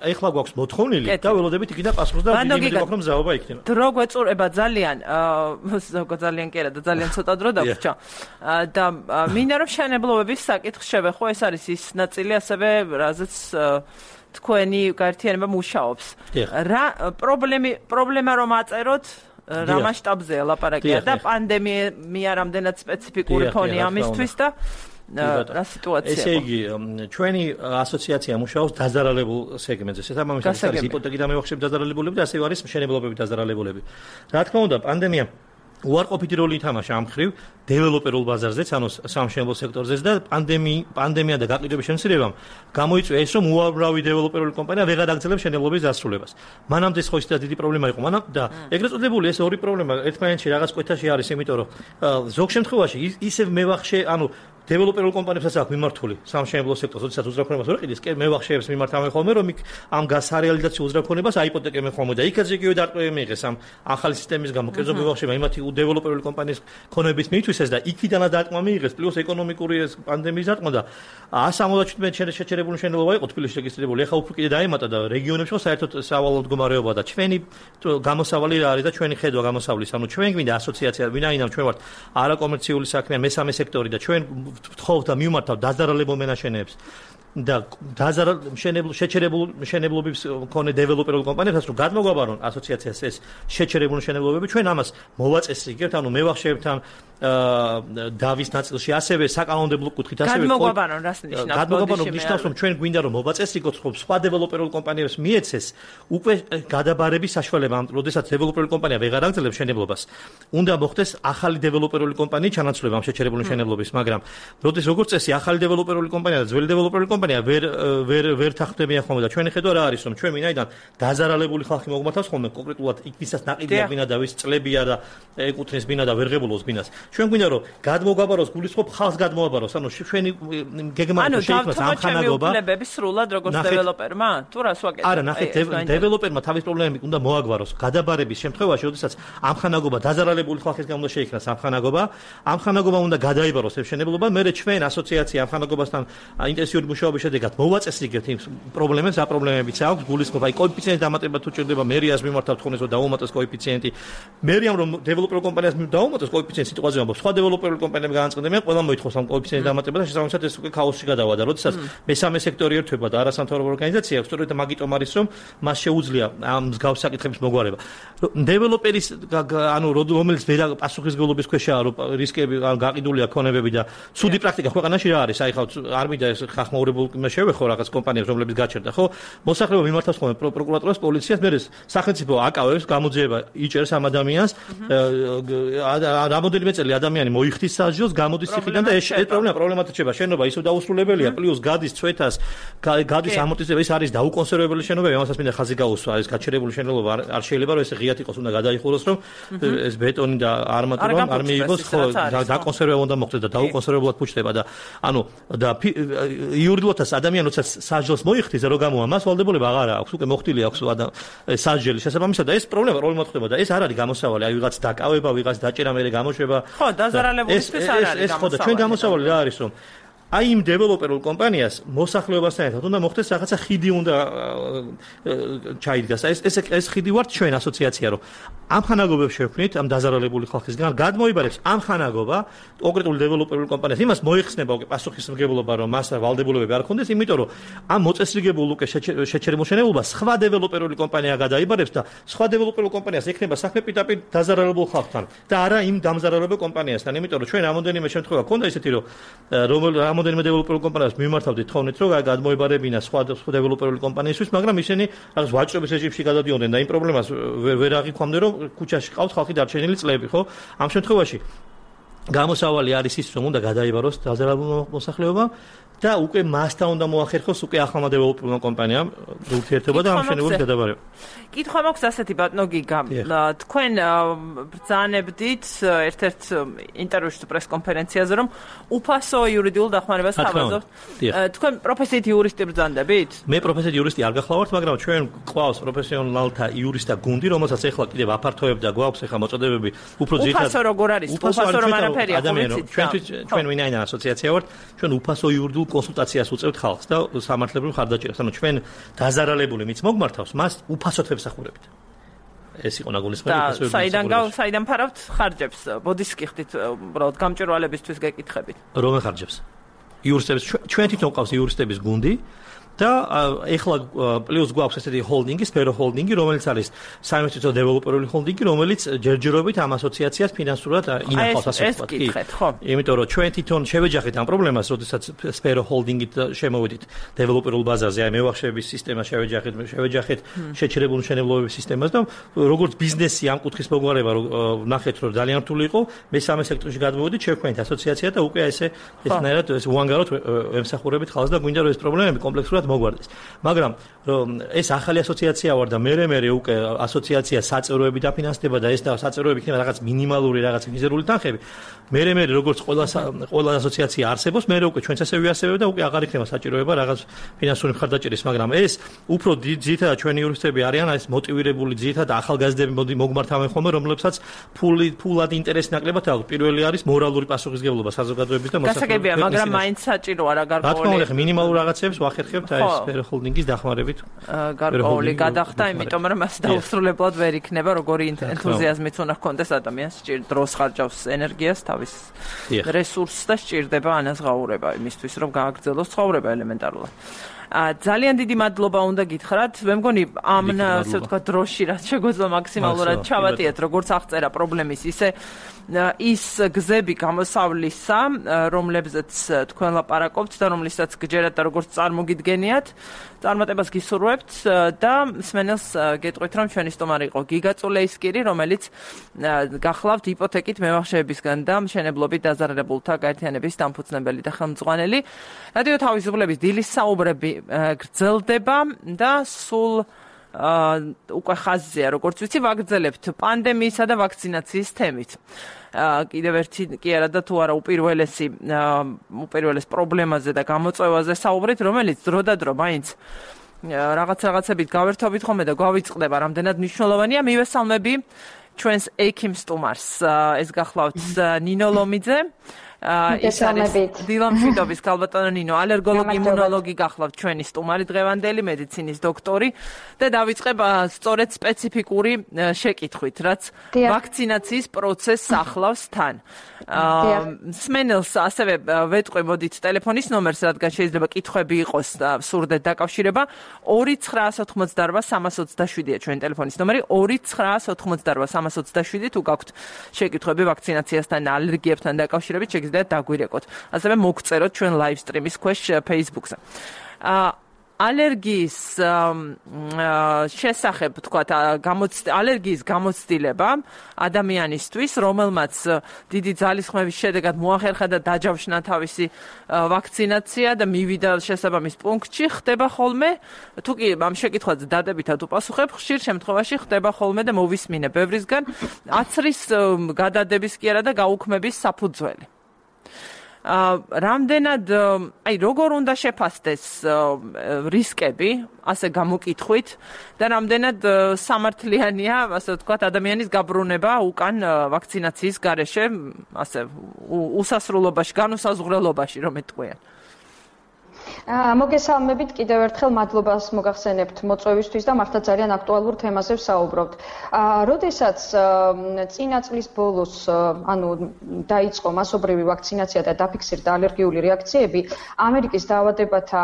ეხლა გვაქვს მოთხოვნილი და ველოდებით იქიდან პასუხს და ვიგებთ რომ ზაობა იქნება. დრო გვეწურება ძალიან ძალიან კი არა და ძალიან ცოტა დრო დაგვრჩა. და მინდა რომ შენებლობების საკითხს შევეხო, ეს არის ის ნაწილი ასევე რაზეც თქვენი გაერთიანება მუშაობს. რა პრობლემა რომ აწეროთ რა მასშტაბზეა ლაპარაკია და პანდემია რამდენად სპეციფიკური ფონი ამისთვის და რა სიტუაციაა. ესე იგი, ჩვენი ასოციაცია მუშაობს დაზარალებულ სეგმენტზე. შესაბამისად ეს არის იპოთეკი და მევახშები დაზარალებულები და ასევე არის მშენებლობები დაზარალებულები. რა თქმა უნდა, პანდემია უარყოფითი როლი ითამაშა ამ ხრივ დეველოპერულ ბაზარზეც, ანუ სამშენებლო სექტორზეც და პანდემია და გაყიდვების შემცირებამ გამოიწვია ის, რომ უამრავი დეველოპერული კომპანია ვეღარ აგრძელებს მშენებლობის დასრულებას. მანამდე ხო ისეთ დიდი პრობლემა იყო, და ეგრეთ წოდებული ეს ორი პრობლემა ერთმანეთში რაღაც კვეთაში არის, იმიტომ რომ ზოგ შემთხვევაში ისევ მევახშე, ანუ დეველოპერულ კომპანიებსაც აქვს მიმართული სამშენებლო სექტორს, როდესაც უზრახონებას ვერ ყიდის, მევახშეებს მიმართავენ ხოლმე, რომ იქ ამ გასარეალიზაციო უზრახონებას აიპოთეკებენ ხოლმე და იქაც იგივე დარტყმები მიიღეს ამ ახალი სისტემის გამო. კერძო მევახშეებმა იმათი დეველოპერული კომპანიის ქონების მიითვისეს და იქიდანაც დარტყმა მიიღეს, პლუს ეკონომიკური პანდემიის დარტყმა და 177 შეჩერებული მშენებლობა იყო თბილისში რეგისტრირებული. ეხლა უფრო კიდე დაემატა და რეგიონებში ხო საერთოდ სავალალო მდგომარეობა და ჩვენი გამოსავალი რა არის და ჩვენი ხედვა გამოსავლის, ანუ ჩვენ გვინდა ასოციაცია, ვინაიდან ჩვენ ვართ არაკომერციული საქმეა, მესამე სექტორი და ჩვენ ვთხოვთ და მივმართავთ დაზარალებულ მენაშენეებს და შეჩერებულ მშენებლობის მქონე დეველოპერულ კომპანიებსაც რომ გადმოგვაბარონ ასოციაციას ეს შეჩერებული მშენებლობები, ჩვენ ამას მოვაწესრიგებთ, ანუ მევახშეებთან დავის ნაწილში, ასევე საკანონმდებლო კუთხით, ასევე გადმოგვაბარონ რას ნიშნავს? გადმოგვაბარონ ნიშნავს, რომ ჩვენ გვინდა რომ მოვაწესრიგოთ, რომ სხვა დეველოპერულ კომპანიებს მიეცეს უკვე გადაბარების საშუალება, როდესაც დეველოპერული კომპანია ვეღარ აგრძელებს მშენებლობას, უნდა მოხდეს ახალი დეველოპერული კომპანიის ჩანაცვლება ამ შეჩერებული მშენებლობის, მაგრამ როდეს როგორც წესი ახალი დეველოპერული კომპანია და ძველი დეველოპერული კომპანია ვერ თანხმდებიან ხოლმე და ჩვენი ხედვა რა არის, რომ ჩვენ ვინაიდან დაზარალებული ხალხი მოგმართავს ხოლმე კონკრეტულად იქ ვისაც ნაყიდია ბინა და ვის წლებია და ეკუთვნის ბინა და ვერ ღებულობს ბინას. ჩვენ გვინდა რომ გადმოგაბაროს გულისხმობ ხალხს გადმოაბაროს, ანუ ჩვენი გეგმა შეიქმნას ამხანაგობა. ანუ დავთვალოთ სრულად როგორც დეველოპერმა, თუ რას ვაკეთებ? არა, ნახეთ, დეველოპერმა თავის პრობლემები უნდა მოაგვაროს. გადაბარების შემთხვევაში, როდესაც ამხანაგობა დაზარალებული ხალხის გამო უნდა შეიქმნას ამხანაგობა უნდა გადაიბაროს ეს მშენებლობა, მერე ჩვენ ასოციაცია ამხანაგობასთან ინტენსიური მუშაობის შედეგად მოვაწესრიგებთ იმ პრობლემებს, რა პრობლემებიც აქვს, გულისხმობ, აი კოეფიციენტის დამატება თუ ჭირდება, მერიას მიმართავთ ხოლმე რომ დაუმატოს კოეფიციენტი. მერიამ რომ დეველოპერულ კომპანიას დაუმატოს კოეფიციენტი სიტუაცია ამბობს, სხვა დეველოპერული კომპანიები გაანწყდებიან, ყველა მოითხოვს ამ კოეფიციენტის დამატება და შესაბამისად ეს უკვე ქაოსში გადავა და როდესაც მესამე სექტორი ერთვება და არასამთავრობო ორგანიზაცია აქვს, სწორედ მაგიტომ არის რომ მას შეუძლია ამ მსგავს საკითხების მოგვარება. დეველოპერის ანუ რომელიც ვერ პასუხისმგებლობის ქვეშაა, რომ რისკები გაყიდულია ქონებები და ცუდი პრაქტიკა ქვეყანაში რა არის, აი ხა არ მინდა ეს ხახმაურებულ შევეხო რაღაც კომპანიებს, რომლებიც გაჩერდა, ხო? მოსახლეობა მიმართავს ხოლმე პროკურატურას, პოლიციას, მე სახელმწიფო აკავებს, გამოძიება იჭერს ამ ადამიანს, რამოდენიმე წელი ადამიანი მოიხდის სასჯელს, გამოდის ციხიდან და ეს პრობლემატი რჩება. შენობა ისევ დაუსრულებელია, პლუს გადის წვეთას, გადის ამორტიზება, ეს არის დაუკონსერვებელი შენობები, ამასაც მინდა ხაზი გაუსვა, ეს გაჩერებული შენობა არ შეიძლება რომ ეს ღიად იყოს, უნდა გადაიხუროს, რომ ეს ბეტონი და არმატურა არ მიიღოს, ხო, დაკონსერვება უნდა მოხდეს და დაუკონსერვებლად ფუჭდება და ანუ და იურიდიულადაც ადამიანი როცა სასჯელს მოიხდის, რო გამოა მას ვალდებულება აღარ აქვს, უკვე მოხდილი აქვს სასჯელი შესაბამისად და ეს პრობლემა ხდება და ეს არ არის გამოსავალი, აი ვიღაც დაკავება, ვიღაც დაჭერა, მერე გამოშვება. ხო, დაზარალებულისთვის არ არის. ეს ხო და ჩვენ გამოსავალი რა არის, რომ აი იმ დეველოპერულ კომპანიას მოსახლეობასთან ერთად უნდა მოხდეს რაღაცა ხიდი უნდა ჩაიდგას. ეს ხიდი ვართ ჩვენ ასოციაცია, რომ ამხანაგობებს შევქმნით ამ დაზარალებული ხალხისგან, გადმოიბარებს ამხანაგობა კონკრეტულ დეველოპერულ კომპანიას. იმას მოიხსნება უკვე პასუხისმგებლობა, რომ მას ვალდებულებები არ ქონდეს, იმიტომ რომ ამ მოწესრიგებულ უკვე შეჩერებულ მშენებლობას სხვა დეველოპერული კომპანია გადაიბარებს და სხვა დეველოპერულ კომპანიას ექნება საქმე პირდაპირ დაზარალებულ ხალხთან და არა იმ დამზარალებულ კომპანიასთან, იმიტომ რომ ჩვენ რამოდენიმე შემთხვევა ქონდა ისეთი, რომ რამოდენიმე დეველოპერულ კომპანიას მიმართავდით თხოვნით, რომ გადმოებარებინა სხვა დეველოპერული კომპანიისთვის, მაგრამ ისინი რაღაც ვაჭრობის რეჟიმში გადადიოდნენ და იმ პრობლემას ვერ აღიქვამდნენ, რომ ქუჩაში ყავთ ხალხი დარჩენილი წლები, ხო? ამ შემთხვევაში გამოსავალი არის ის, რომ უნდა გადაიბაროს დაზარალებულმა მოსახლეობამ და უკვე მასთან უნდა მოახერხოს უკვე ახალმა დეველოპერულ კომპანიამ ურთიერთობა და ამ შენებულის გადაბარება. კითხვა მაქვს ასეთი ბატონო გიგა. თქვენ ბრძანებდით ერთ-ერთ ინტერვიუში პრესკონფერენციაზე, რომ უფასო იურიდიულ დახმარებას თავაზობთ. თქვენ პროფესიით იურისტი ბრძანდებით? მე პროფესიით იურისტი არ გახლავართ, მაგრამ ჩვენ გვყავს პროფესიონალთა იურისტთა გუნდი, რომელსაც ეხლა კიდევ აფართოებდა, გვაქვს ეხლა მოწოდებები უფრო ძირითადად. უფასო როგორ არის? უფასო რომ არაფერია, ჩვენ ვინაიდან ასოციაცია ვართ, ჩვენ უფასო იურიდიულ კონსულტაციას უწევთ ხალხს და სამართლებრივ ხარდაჭერას. ანუ ჩვენ დაზარალებული მით მოგმართავს, მას უფასოდ ვებსახურებით. ეს იყო ნაგულისმენი უფასო იურიდიულ. საიდან ფარავთ ხარჯებს? ბოდის გიხდით უბრალოდ გამჭვირვალებისთვის გეკითხებით. რომელ ხარჯებს? იურისტების ჩვენ თვითონ ყავს იურისტების გუნდი და ეხლა პლუს გვაქვს ესეთი ჰოლდინგი, სფერო ჰოლდინგი, რომელიც არის საინვესტიციო დეველოპერული ჰოლდინგი, რომელიც ჯერჯერობით ამ ასოციაციას ფინანსურად ინახავს ასე ვთქვათ. კი. ხო. იმიტომ რომ ჩვენ თვითონ შევეჯახეთ ამ პრობლემას, როდესაც სფერო ჰოლდინგით შემოვედით დეველოპერულ ბაზაზე, აი მევახშეების სისტემა შევეჯახეთ შეჩერებული მშენებლობების სისტემას და როგორც ბიზნესი ამ კუთხის მოგვარება ნახეთ, რომ ძალიან რთული იყო, მესამე სექტორში გადმოვედით, შევქმნით ასოციაცია და უკვე ესნაირად უანგაროდ ვემსახურებით ხალხს და გვინდა რომ ეს პრობლემები კომპლექსურად მოგვარდეს. მაგრამ ეს ახალი ასოციაცია ვარ და მე უკვე ასოციაცია საწევროები დაფინანსდება და ეს და საწევროები იქნება რაღაც მინიმალური რაღაც მიზერული თანხები. მე როგორც ყველა ასოციაცია არსებობს, მე უკვე ჩვენც ასევე ვიარსებებ და უკვე აღარ იქნება საჭიროება რაღაც ფინანსური მხარდაჭერის, მაგრამ ეს უფრო ძირითადად ჩვენი იურისტები არიან, ეს მოტივირებული ძირითადად ახალგაზრდები მოგმართავენ ხოლმე, რომლებსაც ფულად ინტერესი ნაკლებად აქვს. პირველი არის მორალური პასუხისმგებლობა საზოგადოების და მოსახლეობის. გასაგებია, მაგრამ მაინც საჭიროა რა გარკვეული. რა თქმა უნდა, მინიმალურ რაღაცებს ვახერხებთ ეს სფერო ჰოლდინგის დახმარებით. გარკვეული გადახდა, იმიტომ რომ მას დაუსრულებლად ვერ იქნება, როგორი ენთუზიაზმიც უნდა ჰქონდეს ადამიანს, დროს ხარჯავს ენერგიას, თავის რესურსს და სჭირდება ანაზღაურება იმისთვის, რომ გააგრძელოს ცხოვრება ელემენტარულად. ძალიან დიდი მადლობა უნდა გითხრათ. მე მგონი ამ ასე ვთქვათ დროში რაც შეგვეძლო მაქსიმალურად ჩავატიეთ, როგორც აღწერა პრობლემის, ისე ის გზები გამოსავლისა, რომლებზეც თქვენ ლაპარაკობთ და რომლისაც გჯერათ და როგორც წარმოგიდგენიათ, წარმატებას გისურვებთ და მსმენელს გეტყვით, რომ ჩვენი სტუმარი იყო გიგა წულეისკირი, რომელიც გახლავთ იპოთეკით მევახშეებისგან და მშენებლობით დაზარალებულთა გაერთიანების დამფუძნებელი და ხელმძღვანელი. რადიო თავისუფლების დილის საუბრები გრძელდება და სულ უკვე ხაზია, როგორც ვიცი, ვაგრძელებთ პანდემიისა და ვაქცინაციის თემით. კიდევ ერთი კი არა და თუ არა უპირველეს პრობლემაზე და გამოწვევაზე საუბრით, რომელიც დრო და დრო მაინც რაღაცებით გავერთობით ხოლმე და გვავიწყდება, რამდენად მნიშვნელოვანია. მივესალმები ჩვენს ექიმ სტუმარს. ეს გახლავთ ნინო ლომიძე. ის არის დილამშვიდობის ქალბატონო ნინო, ალერგოლოგი, იმუნოლოგი გახლავთ ჩვენი სტუმარი დღევანდელი, მედიცინის დოქტორი და დავიწყებ სწორედ სპეციფიკური შეკითხვით, რაც ვაქცინაციის პროცესს ახლავს თან. მსმენელს ასევე ვეტყვი, მოდით ტელეფონის ნომერს, რადგან შეიძლება კითხვები იყოს და სურდეთ დაკავშირება, 2988327-ია ჩვენი ტელეფონის ნომერი, 2988327 თუ გაქვთ შეკითხვები ვაქცინაციასთან, ალერგიებთან დაკავშირებით, და დაგვირეკოთ. ასევე მოგწეროთ ჩვენ live stream-ის ქვეშ Facebook-ზე. ალერგიის შესახებ, თქვათ, ალერგიის გამოცდილება ადამიანისთვის, რომელმაც დიდი ძალისხმევის შედეგად მოახერხა და დაჯავშნა თავისი ვაქცინაცია და მივიდა შესაბამის პუნქტში, ხდება ხოლმე, თუ კი ამ შეკითხვაზე დადებითად უპასუხებ, ხშირ შემთხვევაში ხდება ხოლმე და მოვისმინე ბევრისგან აცრის გადადების კი არა და გაუქმების საფუძველი. რამდენად, როგორ უნდა შეფასდეს რისკები, ასე გამოკითხვით და რამდენად სამართლიანია, ასე ვთქვათ, ადამიანის გაბრუნება უკან ვაქცინაციის გარეშე, ასე უსასრულობაში, განუსაზღვრელობაში, რომ ეტყვიან. მოგესალმებით კიდევ ერთხელ მადლობას მოგახსენებთ მოწვევისთვის და მართლა ძალიან აქტუალურ თემაზე ვსაუბრობთ. როდესაც წინა წლის ბოლოს დაიწყო მასობრივი ვაქცინაცია და დაფიქსირდა ალერგიული რეაქციები, ამერიკის დაავადებათა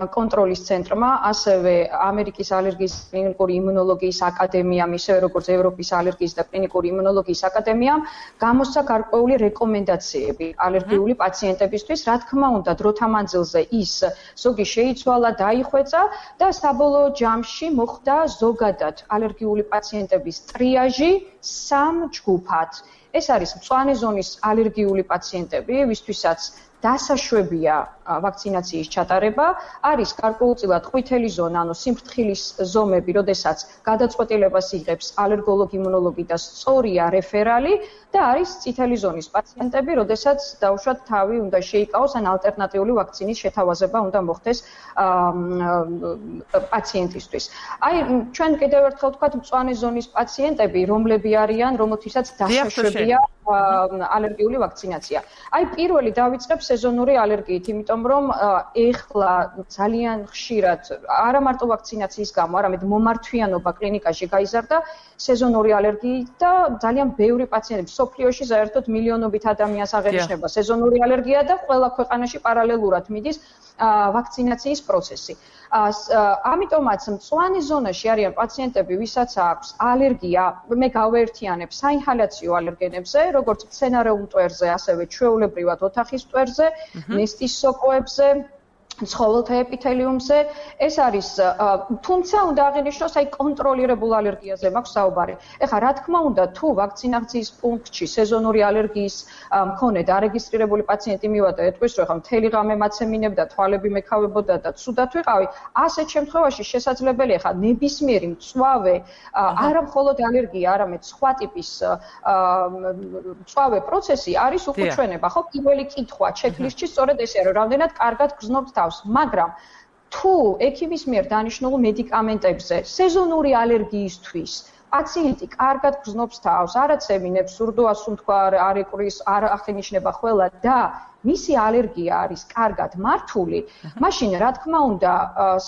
კონტროლის ცენტრმა, ასევე ამერიკის ალერგიის კლინიკური იმუნოლოგიის აკადემიამ, ისევე როგორც ევროპის ალერგიის და კლინიკური იმუნოლოგიის აკადემიამ გამოსცა გარკვეული რეკომენდაციები ალერგიული პაციენტებისთვის, რა თქმა უნდა, დროთა მანძილზე ის ზოგი შეიცვალა, დაიხვეწა და საბოლოო ჯამში მოხდა ზოგადად ალერგიული პაციენტების ტრიაჟი 3 ჯგუფად. ეს არის მწვანე ზონის ალერგიული პაციენტები, ვისთვისაც დასაშვებია ვაქცინაციის ჩატარება, არის გარკვეულწილად ყვითელი ზონა, ანუ სიმფრთხილის ზომები, როდესაც გადაწყვეტილებას იღებს ალერგოლოგ-იმუნოლოგი და სწორია რეფერალი და არის წითელი ზონის პაციენტები, როდესაც დაუშვათ თავი უნდა შეიკავოს ან ალტერნატიული ვაქცინის შეთავაზება უნდა მოხდეს პაციენტისთვის. აი, ჩვენ კიდევ ერთხელ ვთქვათ, მწვანე ზონის პაციენტები, რომლები არიან, რომელთვისაც დასაშვებია ალერგიული ვაქცინაცია. აი, პირველი დავიწყებ სეზონური ალერგიით, იმიტომ რომ ეხლა ძალიან ხშირად არა მარტო ვაქცინაციის გამო, არამედ მომართვიანობა კლინიკაში გაიზარდა სეზონური ალერგიით და ძალიან ბევრი პაციენტი მსოფლიოში საერთოდ მილიონობით ადამიანს აღენიშნება სეზონური ალერგია და ყველა ქვეყანაში პარალელურად მიდის ვაქცინაციის პროცესი. ამიტომაც მწვანე ზონაში არიან პაციენტები, ვისაც აქვს ალერგია, მე გავაერთიანებ საინჰალაციო ალერგენებზე, როგორც მცენარე მტვერზე, ასევე ჩვეულებრივად ოთახის მტვერზე, ნესტის სოკოებზე, ცხოველთა ეპითელიუმზე. ეს არის, თუმცა უნდა აღინიშნოს, აი კონტროლირებულ ალერგიაზე მაქვს საუბარი. ეხლა რა თქმა უნდა, თუ ვაქცინაციის პუნქტში სეზონური ალერგიის მქონე დარეგისტრირებული პაციენტი მივიდა, ეტყვის, რომ ეხლა მთელი ღამე მაცემინებდა, თვალები მეკავებოდა და ცუდად ვიყავი, ასეთ შემთხვევაში შესაძლებელია ეხლა ნებისმიერი მწვავე, არა მხოლოდ ალერგია, არამედ სხვა ტიპის მწვავე პროცესი არის უკუჩვენება, ხო? პირველი კითხვა ჩეკლისტში სწორედ ესეა, რომ რამდენად კარგად გრძნობთ თავს. მაგრამ თუ ექიმის მიერ დანიშნულ მედიკამენტებზე სეზონური ალერგიისთვის პაციენტი კარგად გრძნობს თავს, არ აცემინებს, სურდოას უთქვა, არ ეკვრის, არ აღინიშნება ყველა და მისი ალერგია არის კარგად მართული, მაშინ რა თქმა უნდა,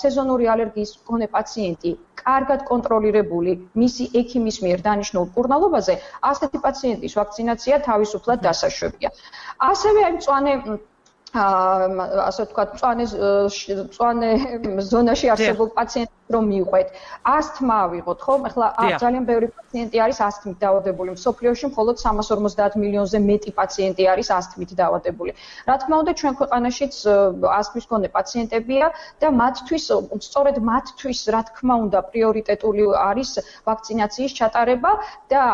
სეზონური ალერგიის მქონე პაციენტი კარგად კონტროლირებული მისი ექიმის მიერ დანიშნულ მკურნალობაზე, ასეთი პაციენტის ვაქცინაცია თავისუფლად დასაშვებია. ასევე აი მწვანე ასე ვთქვათ, მწვანე ზონაში არსებულ პაციენტებს რომ მივყვეთ, ასთმა ავიღოთ, ხო? ეხლა ძალიან ბევრი პაციენტი არის ასთმით დაავადებული. მსოფლიოში მხოლოდ 350 მილიონზე მეტი პაციენტი არის ასთმით დაავადებული. რა თქმა უნდა, ჩვენ ქვეყანაშიც ასთმის მქონე პაციენტებია და მათთვის, სწორედ მათთვის, რა თქმა უნდა, პრიორიტეტული არის ვაქცინაციის ჩატარება და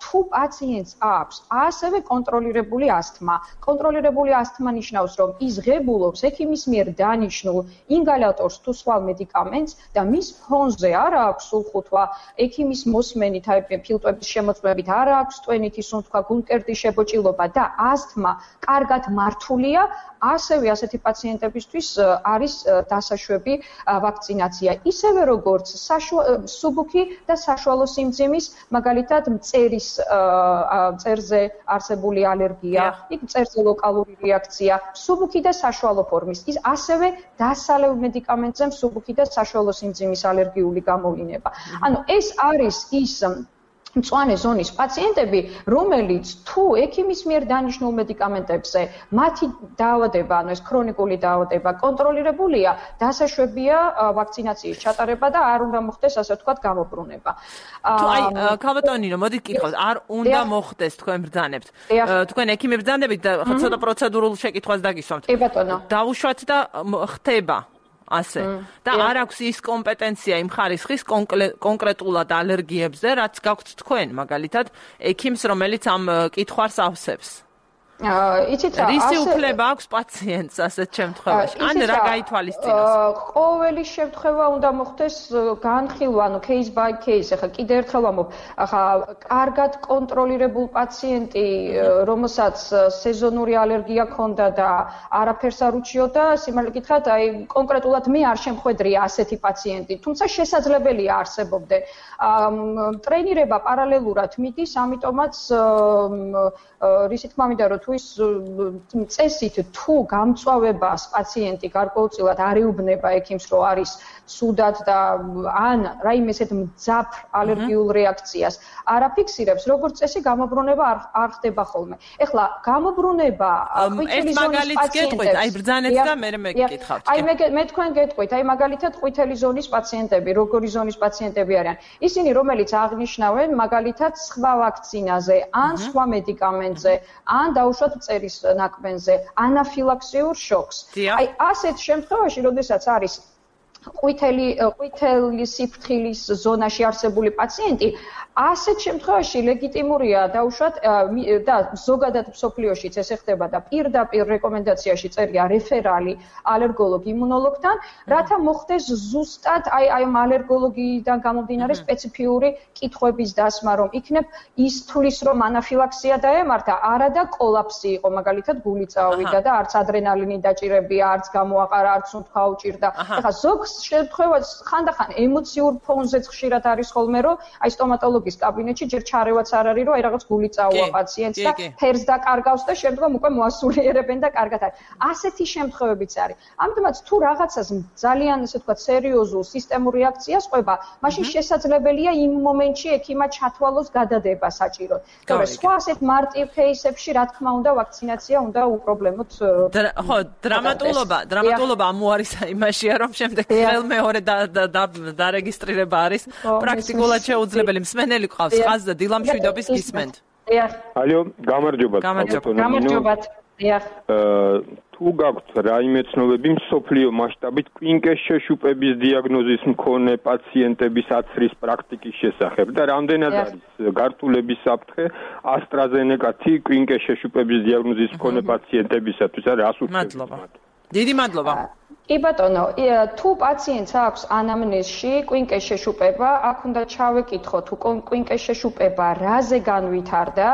თუ პაციენტს აქვს ასევე კონტროლირებული ასთმა. კონტროლირებული ასთმა ნიშნავს, რომ ის ღებულობს ექიმის მიერ დანიშნულ ინგალატორს თუ სხვა მედიკამენტს და მის ფონზე არ აქვს სულხუთვა, ექიმის მოსმენით, აი ფილტვების შემოწმებით არ აქვს ტვენითი სუნთქვა, გულმკერდის შებოჭილობა და ასთმა კარგად მართულია, ასევე ასეთი პაციენტებისთვის არის დასაშვები ვაქცინაცია. ისევე როგორც მსუბუქი და საშუალო სიმძიმის, მაგალითად მწერზე არსებული ალერგია, იქ მწერზე ლოკალური რეაქცია, მსუბუქი და საშუალო ფორმის. ის ასევე დასალევ მედიკამენტზე მსუბუქი და საშუალო სიმძიმის ალერგიული გამოვლინება. ანუ ეს არის ის მწვანე ზონის პაციენტები, რომელიც თუ ექიმის მიერ დანიშნულ მედიკამენტებზე მათი დაავადება, ანუ ეს ქრონიკული დაავადება კონტროლირებულია, დასაშვებია ვაქცინაციის ჩატარება და არ უნდა მოხდეს, ასე ვთქვათ, გამობრუნება. თუ აი, ქალბატონინო, მოდით გითხავთ, არ უნდა მოხდეს თქვენ ბრძანებთ. თქვენ ექიმი ბრძანებით და ცოტა პროცედურულ შეკითხვას დაგისვამთ. კი ბატონო. დაუშვათ და ხდება. ასე და არ აქვს ის კომპეტენცია იმ ხარისხის კონკრეტულად ალერგიებზე, რაც გაქვთ თქვენ, მაგალითად, ექიმს, რომელიც ამ კითხვას ავსებს. იცით რა, რისი უფლება აქვს პაციენტს ასეთ შემთხვევაში? ან რა გაითვალისწინოს? ყოველი შემთხვევა უნდა მოხდეს განხილვა, ანუ case by case. ახლა კიდევ ერთხელ ვამბობ, ახლა კარგად კონტროლირებულ პაციენტი, რომელსაც სეზონური ალერგია ჰქონდა და არაფერს არ უჩიოდა, სიმართლე გითხრათ, აი კონკრეტულად მე არ შემხვედრია ასეთი პაციენტი, თუმცა შესაძლებელია არსებობდე. ტრენირება პარალელურად მიდის, ამიტომაც რისი თქმა მინდა, რომ თუ ის წესით თუ გამწვავებას პაციენტი გარკვეულწილად არ ეუბნება ექიმს, რომ არის სუდად და ან რაიმე ესეთ მძაფრ ალერგიულ რეაქციას არ აფიქსირებს, როგორც წესი გამობრუნება არ ხდება ხოლმე. ეხლა გამობრუნება ყვითელი ზონის პაციენტებს, აი ბრძანეთ და მე მეკითხავთ. აი მე თქვენ გეტყვით, აი მაგალითად ყვითელი ზონის პაციენტები, როგორი ზონის პაციენტები არიან? ისინი, რომელიც აღნიშნავენ მაგალითად სხვა ვაქცინაზე, ან სხვა მედიკამენტზე, ან დაუშვათ მწერის ნაკბენზე, ანაფილაქსიურ შოკს. აი ასეთ შემთხვევაში, როდესაც არის ყვითელი სიფრთხილის ზონაში არსებული პაციენტი, ასეთ შემთხვევაში ლეგიტიმურია დაუშვათ და ზოგადად მსოფლიოშიც ესე ხდება და პირდაპირ რეკომენდაციაში წერია რეფერალი ალერგოლოგ იმუნოლოგთან, რათა მოხდეს ზუსტად აი ამ ალერგოლოგიიდან გამომდინარე სპეციფიური კითხვების დასმა, რომ იქნებ ის თulis რომ ანაფილაქსია დაემართა, არა და კოლაფსი იყო, მაგალითად გული წავიდა და არც ადრენალინი დაჭირებია, არც გამოაყარა, არც უთქვა უჭირდა. ეხლა ზოგ შემთხვევაში ხანდახან ემოციურ ფონზეც ხშირად არის ხოლმე, რომ აი სტომატოლოგის კაბინეტში ჯერ ჩარევაც არ არის, რომ აი რაღაც გული წაუვა პაციენტს და ფერს დაკარგავს და შემდგომ უკვე მოასულიერებენ და კარგად არის. ასეთი შემთხვევებიც არის. ამიტომაც თუ რაღაცას ძალიან ესე ვთქვათ სერიოზულ სისტემურ რეაქციას ყვება, მაშინ შესაძლებელია იმ მომენტში ექიმად ჩათვალოს გადადება საჭიროდ. თორე სხვა ასეთ მარტივ кейსებში რა თქმა უნდა ვაქცინაცია უნდა უპრობლემოდ ხო, დრამატულობა ამუარისა იმაშია, რომ შემდეგ მეორე დარეგისტრირება არის პრაქტიკულად შეუძლებელი. მსმენელი ყავს ხაზი და დილამშვიდობის გისმენთ. ალო, გამარჯობათ. გამარჯობათ. თუ გაქვთ რაიმე ცნობები მსოფლიო მასშტაბით კვინკეს შეშუპების დიაგნოზის მქონე პაციენტების აცრის პრაქტიკის შესახებ და რამდენად არის გართულების საფრთხე AstraZeneca-ი კვინკეს შეშუპების დიაგნოზის მქონე პაციენტებისათვის? რას უთქვით? მადლობა. დიდი მადლობა. კი ბატონო, თუ პაციენტს აქვს ანამნეზში კვინკეს შეშუპება, აქ უნდა ჩავეკითხო თუ კვინკეს შეშუპება რაზე განვითარდა,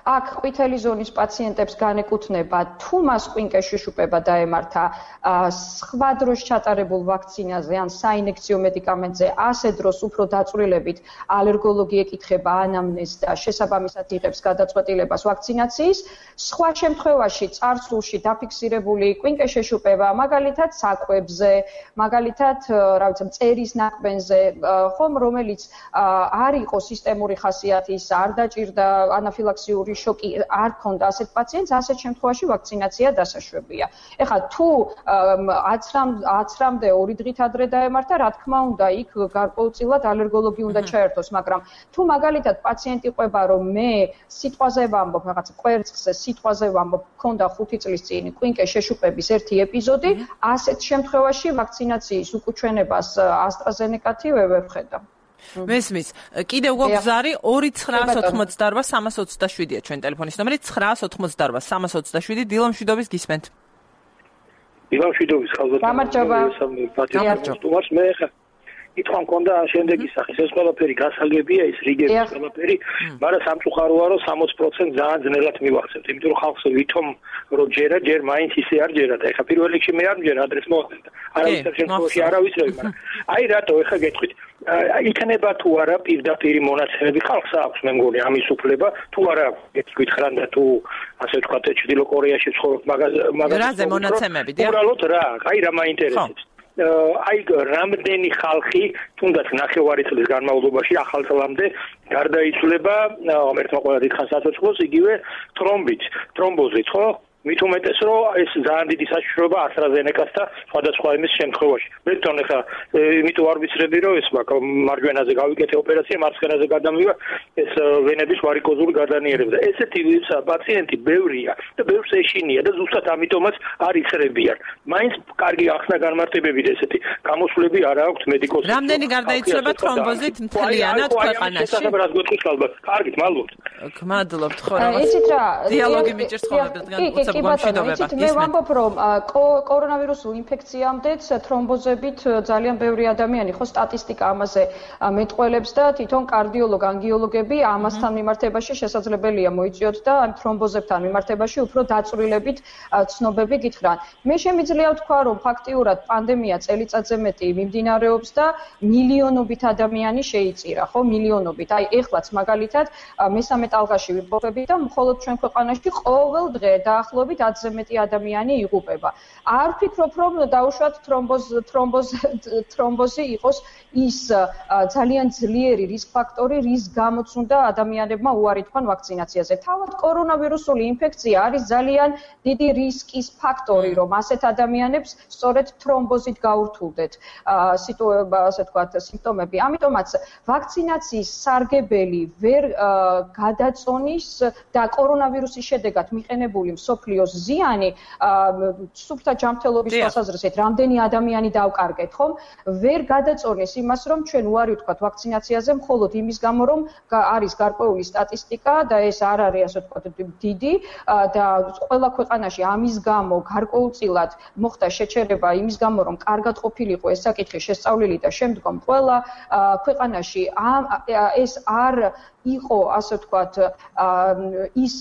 აქ ყვითელი ზონის პაციენტებს განეკუთვნება, თუ მას კვინკეს შეშუპება დაემართა სხვა დროს ჩატარებულ ვაქცინაზე ან საინექციო მედიკამენტზე, ასე დროს უფრო დაწვრილებით ალერგოლოგი ეკითხება ანამნეზს და შესაბამისად იღებს გადაწყვეტილებას ვაქცინაციის. სხვა შემთხვევაში წარსულში დაფიქსირებული კვინკეს შეშუპება, მაგალითად საკვებზე, მაგალითად, რა ვიცი, მწერის ნაკბენზე, ხომ რომელიც არ იყო სისტემური ხასიათის, არ დაჭირდა ანაფილაქსიური შოკი, არ ქონდა ასეთ პაციენტს, ასეთ შემთხვევაში ვაქცინაცია დასაშვებია. ეხლა თუ აცრამდე 2 დღით ადრე დაემართა, რა თქმა უნდა, იქ გარკვეულწილად ალერგოლოგი უნდა ჩაერთოს, მაგრამ თუ მაგალითად პაციენტი ყვება, რომ მე სიტყვაზე ვამბობ, რაღაც კვერცხზე სიტყვაზე ვამბობ, მქონდა 5 წლის წინ კვინკეს შეშუპების ერთი ეპიზოდი, ასეთ შემთხვევაში ვაქცინაციის უკუჩვენებას AstraZeneca-ი ვერ ხედავ. მესმის. კიდევ გვგზარი 2988-327-ია ჩვენ ტელეფონის ნომერი 988-327. დილამშვიდობის გისმენთ. დილამშვიდობის ხალხო. გამარჯობა. მე ხა ითქვა მქონდა შემდეგი სახის ეს ყველაფერი გასაგებია ის რიგების ყველაფერი, მაგრამ სამწუხაროა რომ 60% ძალიან ძნელად მივახცევთ, იმიტომ რომ ხალხს ვითომ რომ ჯერ მაინც ისე არ ჯერა და ეხა პირველ რიგში მე არ მჯერა ადრეს მოხდა. არავის შემთხვევაში არ ავისწრები, მაგრამ აი რატო ეხა გეტყვით იქნება თუ არა პირდაპირ მონაცემები ხალხს აქვს მე მგონი ამის უფლება თუ არა გეტყვით და თუ ასე ვთქვათ ჩრდილო კორეაში ცხოვრობ მაგაზე მონაცემები დიახ უბრალოდ რა აი რა მაინტერესებს აი რამდენი ხალხი თუნდაც ნახევარი წლის განმავლობაში ახალ წლამდე გარდაიცვლება ერთმა ყველა დიდხანს საცოცხლოს იგივე თრომბოზით ხო მით უმეტეს რომ ეს ძალიან დიდი საშიშროება AstraZeneca-ს და სხვადასხვა იმის შემთხვევაში. მე თვითონ ახლა იმიტომ არ ვიცრები რომ ეს მარჯვენაზე გავიკეთე ოპერაცია, მარცხენაზე გადამივა ეს ვენების ვარიკოზული გადანიერება. და ესეთი პაციენტი ბევრია და ბევრს ეშინია და ზუსტად ამიტომაც არ იცრებიან. მაინც კარგი ახსნა განმარტებებით ესეთი გამოსვლები არ აქვს მედიკოსებს. რამდენი გარდაიცვლება თრომბოზით მთლიანად ქვეყანაში? რას გვეტყვის ალბათ. კარგით, მადლობთ. მადლობთ ხო რა. იცით რა, დიალოგი მიჭირს ხოლმე დღეს გულისხმობ გამშვიდობება. მე ვამბობ, რომ კორონავირუსულ ინფექციამდეც თრომბოზებით ძალიან ბევრი ადამიანი ხო სტატისტიკა ამაზე მეტყველებს და თვითონ კარდიოლოგ, ანგიოლოგები ამასთან მიმართებაში შესაძლებელია მოიწიოთ და ამ თრომბოზებთან მიმართებაში უფრო დაწვრილებით ცნობები გითხრან. მე შემიძლია ვთქვა, რომ ფაქტიურად პანდემია წელიწადზე მეტი მიმდინარეობს და მილიონობით ადამიანი შეიწირა, ხო, მილიონობით. აი, ეხლაც მაგალითად მესამე ტალღაში ვიმყოფებით და მხოლოდ ჩვენ ქვეყანაში ყოველ დღე დაახლოებით 10-ზე მეტი ადამიანი იღუპება. არ ვფიქრობ, რომ დაუშვათ თრომბოზი იყოს ის ძალიან ძლიერი რისკ ფაქტორი, რის გამოც უნდა ადამიანებმა უარი თქვან ვაქცინაციაზე. თავად კორონავირუსული ინფექცია არის ძალიან დიდი რისკის ფაქტორი, რომ ასეთ ადამიანებს სწორედ თრომბოზით გაურთულდეთ ასე ვთქვათ სიმპტომები. ამიტომაც ვაქცინაციის სარგებელი ვერ გადაწონის და კორონავირუსის შედეგად მიყენებული მსოფლიოს ზიანი სუფთა ჯანმრთელობის თვალსაზრისით რამდენი ადამიანი დავკარგეთ, ხომ? ვერ გადაწონის იმას, რომ ჩვენ უარი ვთქვათ ვაქცინაციაზე მხოლოდ იმის გამო, რომ არის გარკვეული სტატისტიკა და ეს არ არის ასე ვთქვათ დიდი და ყველა ქვეყანაში ამის გამო გარკვეულწილად მოხდა შეჩერება იმის გამო, რომ კარგად ყოფილიყო ეს საკითხი შესწავლილი და შემდგომ ყველა ქვეყანაში ეს არ იყო ასე ვთქვათ ის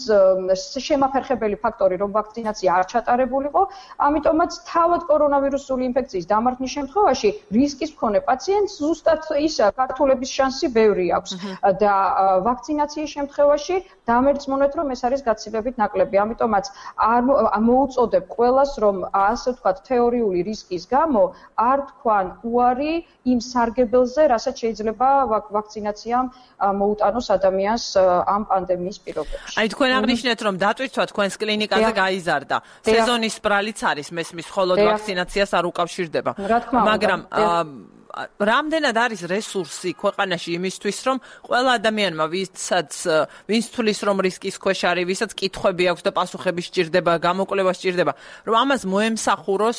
შემაფერხებელი ფაქტორი, რომ ვაქცინაცია არ ჩატარებულიყო, ამიტომაც თავად კორონავირუსული ინფექციის დამარხნის შემთხვევაში რისკის მქონე პაციენტს ზუსტად ის გართულების შანსი ბევრი აქვს და ვაქცინაციის შემთხვევაში დამერწმუნეთ, რომ ეს არის გაცილებით ნაკლები. ამიტომაც მოუწოდებ ყველას, რომ ასე ვთქვათ თეორიული რისკის გამო არ თქვან უარი იმ სარგებელზე, რასაც შეიძლება ვაქცინაციამ მოუტანოს ადამიანს ამ პანდემიის პირობებში. აი თქვენ აღნიშნეთ, რომ დატვირთვა თქვენს კლინიკაზე გაიზარდა. სეზონის ბრალიც არის, მესმის ხოლოდ ვაქცინაციას არ უკავშირდება. მაგრამ რამდენად არის რესურსი ქვეყანაში იმისთვის, რომ ყველა ადამიანმა, ვინც თulis რომ რისკის ქვეშ არის, ვისაც კითხვები აქვს და პასუხები სჭირდება, გამოკვლევა სჭირდება, რომ ამას მოემსახუროს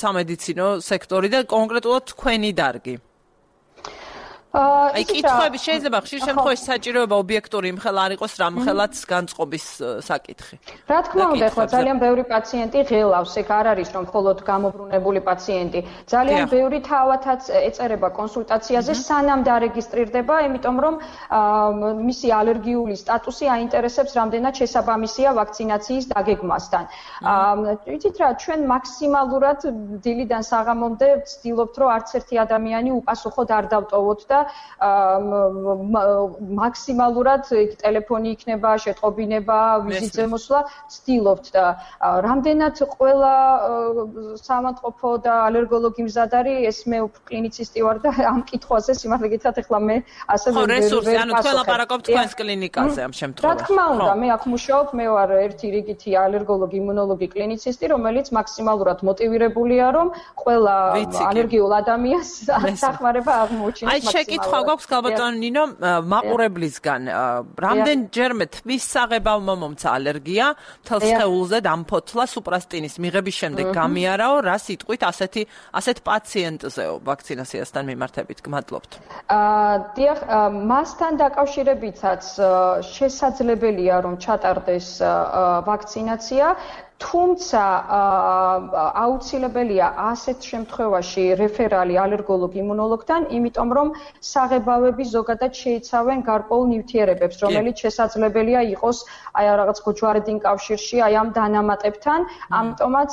სამედიცინო სექტორი და კონკრეტულად თქვენი დარგი. აი კითხვები შეიძლება ხშირ შემთხვევაში საჭიროება ობიექტური იმხელა არ იყოს, რამხელაც განწყობის საკითხი. რა თქმა უნდა, ხო ძალიან ბევრი პაციენტი ღელავს, ეგ არ არის რომ მხოლოდ გამობრუნებული პაციენტი. ძალიან ბევრი თავათაც ეწერება კონსულტაციაზე, სანამ დარეგისტრირდება, იმიტომ რომ მისი ალერგიული სტატუსი აინტერესებს რამდენად შესაბამისია ვაქცინაციის დაგეგმასთან. ვიცით რა, ჩვენ მაქსიმალურად დილიდან საღამომდე ვცდილობთ, რომ არც ერთი ადამიანი უპასუხოდ არ დავტოვოთ და მაქსიმალურად ტელეფონი იქნება, შეტყობინება, ვიზიტზე მოსვლა ვცდილობთ და რამდენად ყველა სამართყოფო და ალერგოლოგი მზად არის, ეს მე კლინიცისტი ვარ და ამ კითხვაზე სიმართლე გითხრათ, ეხლა მე ასე ვერ რესურსი, ანუ თქვენ ლაპარაკობთ თქვენს კლინიკაზე ამ შემთხვევაში. რა თქმა უნდა, მე აქ მუშაობ, მე ვარ ერთი რიგითი ალერგოლოგი, იმუნოლოგი, კლინიცისტი, რომელიც მაქსიმალურად მოტივირებულია, რომ ყველა ალერგიულ ადამიანს სახმარება აღმოუჩინოს. კითხვა გვაქვს გალბატონ ნინო მაყურებლისგან რამდენჯერმე თმის საღებავმა მომცა ალერგია მთელ სხეულზე დამფოთლა სუპრასტინის მიღების შემდეგ გამიარაო რა სიტყვით ასეთ პაციენტზეო ვაქცინაციასთან მიმართებით გმადლობთ. დიახ, მასთან დაკავშირებითაც შესაძლებელია რომ ჩატარდეს ვაქცინაცია. თუმცა აუცილებელია ასეთ შემთხვევაში რეფერალი ალერგოლოგი იმუნოლოგთან, იმიტომ რომ საღებავები ზოგადად შეიცავენ გარკვეულ ნივთიერებებს, რომელიც შესაძლებელია იყოს აი რაღაც ჯვარედინ კავშირში, აი ამ დანამატებთან, ამიტომაც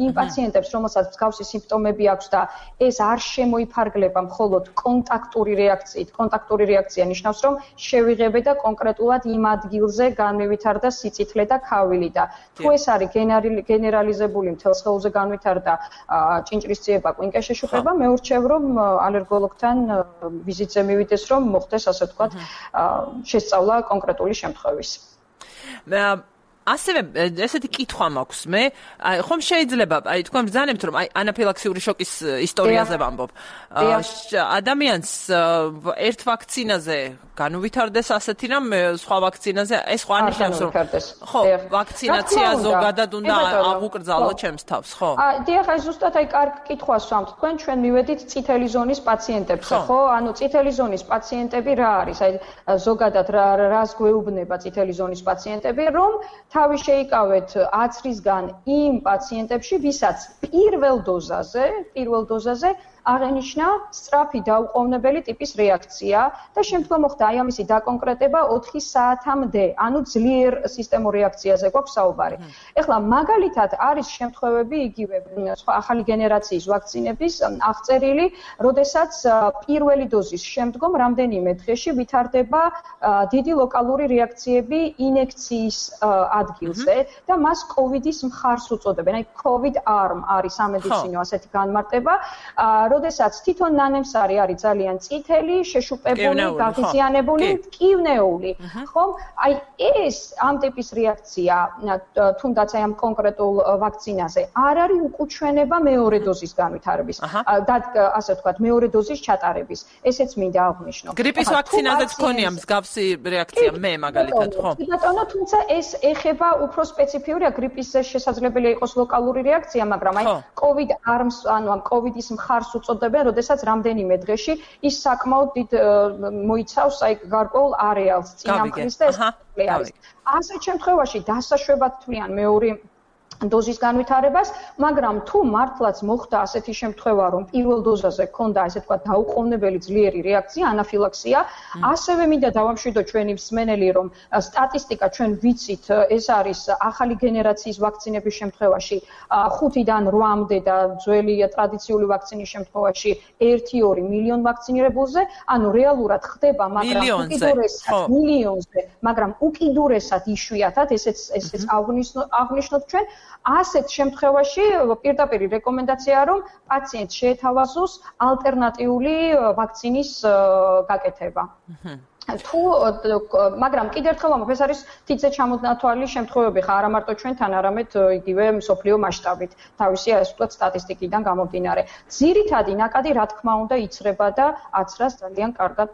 იმ პაციენტებს, რომელსაც მსგავსი სიმპტომები აქვს და ეს არ შემოიფარგლება მხოლოდ კონტაქტური რეაქციით, კონტაქტური რეაქცია ნიშნავს, რომ შევიღებე და კონკრეტულად იმ ადგილზე განმევითარდა სიწითლე და ქავილი. თუ ეს არის გენერალიზებული მთელ სხეულზე განვითარდა ჭინჭრისციება, კვინკე შეშუპება, მე ურჩევ რომ ალერგოლოგთან ვიზიტზე მივიდეს, რომ მოხდეს ასე ვთქვათ შესწავლა კონკრეტული შემთხვევის. ასევე ესეთი კითხვა მაქვს მე, ხომ შეიძლება, აი თქვენ ბრძანებთ რომ აი ანაფილაქსიური შოკის ისტორიაზე ვამბობ. ადამიანს ერთ ვაქცინაზე განუვითარდეს ასეთი რამ, სხვა ვაქცინაზე ეს ხო ანიშნავს რომ ხო, ვაქცინაცია ზოგადად უნდა აღუკრძალო ჩემს თავს, ხო? დიახ, აი ზუსტად აი კარგ კითხვას ვამბობ. თქვენ ჩვენ მივედით წითელი ზონის პაციენტებზე, ხო? ანუ წითელი ზონის პაციენტები რა არის? აი ზოგადად რას გვეუბნება წითელი ზონის პაციენტები, რომ თავი შეიკავეთ აცრისგან იმ პაციენტებში, ვისაც პირველ დოზაზე აღენიშნა სწრაფი დაუყოვნებელი ტიპის რეაქცია და შემდგომ მოხდა აი ამისი დაკონკრეტება 4 საათამდე, ანუ ძლიერ სისტემურ რეაქციაზე გვაქვს საუბარი. ეხლა მაგალითად არის შემთხვევები იგივე სხვა ახალი გენერაციის ვაქცინების აღწერილი, როდესაც პირველი დოზის შემდგომ რამდენიმე დღეში ვითარდება დიდი ლოკალური რეაქციები ინექციის ადგილზე და მას COVID-ის მხარს უწოდებენ. აი COVID arm არის სამედიცინო ასეთი განმარტება, როდესაც თვითონ ნანემსარი არის ძალიან წითელი, შეშუპებული, გაღიზიანებული, მტკივნეული, ხომ? აი ეს ამ ტიპის რეაქცია, თუნდაც აი ამ კონკრეტულ ვაქცინაზე, არ არის უკუჩვენება მეორე დოზის განვითარების და ასე ვთქვათ, მეორე დოზის ჩატარების. ესეც მინდა აღვნიშნო. გრიპის ვაქცინაზეც ქონია მსგავსი რეაქცია, მე მაგალითად, ხო? ბატონო, თუმცა ეს ეხება უფრო სპეციფიურია, გრიპისზე შესაძლებელია იყოს ლოკალური რეაქცია, მაგრამ აი COVID arms, ანუ ამ COVID-ის მხარს უწოდებენ, როდესაც რამდენიმე დღეში ის საკმაოდ დიდ მოიცავს აი გარკვეულ არეალს წინამხრის და ეს არის. ასეთ შემთხვევაში დასაშვებად თვლიან მეორე დოზის განვითარებას, მაგრამ თუ მართლაც მოხდა ასეთი შემთხვევა, რომ პირველ დოზაზე ჰქონდა ესე თქვა დაუყოვნებელი ძლიერი რეაქცია, ანაფილაქსია, ასევე მინდა დავამშვიდო ჩვენი მსმენელი, რომ სტატისტიკა ჩვენ ვიცით, ეს არის ახალი გენერაციის ვაქცინების შემთხვევაში 5-დან 8-მდე და ძველი ტრადიციული ვაქცინის შემთხვევაში 1-2 მილიონ ვაქცინირებულზე, ანუ რეალურად ხდება, მაგრამ მილიონზე, მაგრამ უკიდურესად იშვიათად, ესეც აღნიშნოთ ჩვენ ასეთ შემთხვევაში პირდაპირ რეკომენდაციაა, რომ პაციენტს შეეთავაზოს ალტერნატიული ვაქცინის გაკეთება. მაგრამ კიდევ ერთხელ ვამბობ, ეს არის თითზე ჩამონათვალი შემთხვევები ხარ, არა მარტო ჩვენთან, არამედ იგივე მსოფლიო მასშტაბით, თავისი ასე ვთქვათ სტატისტიკიდან გამომდინარე. ძირითადი ნაკადი, რა თქმა უნდა, იცრება და აცრას ძალიან კარგად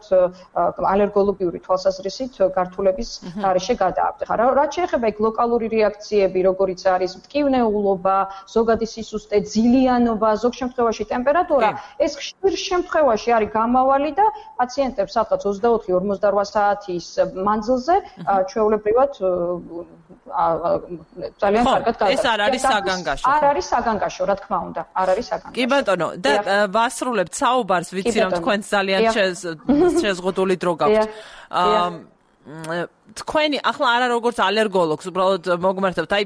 ალერგოლოგიური თვალსაზრისით გართულების გარეშე გადააბდება. რაც შეეხება იქ ლოკალური რეაქციები, როგორიც არის მტკივნეულობა, ზოგადი სისუსტე, ძილიანობა, ზოგ შემთხვევაში ტემპერატურა, ეს ხშირ შემთხვევაში არის გამავალი და პაციენტებს სადღაც 24-48 საათის მანძილზე ჩვეულებრივად ძალიან კარგად გადადის. ეს არ არის საგანგაშო. არ არის საგანგაშო, რა თქმა უნდა, არ არის საგანგაშო. კი ბატონო, და ვასრულებთ საუბარს, ვიცი რომ თქვენ ძალიან შეზღუდული დრო გაქვთ. თქვენი ახლა არა როგორც ალერგოლოგს, უბრალოდ მოგმართებთ, აი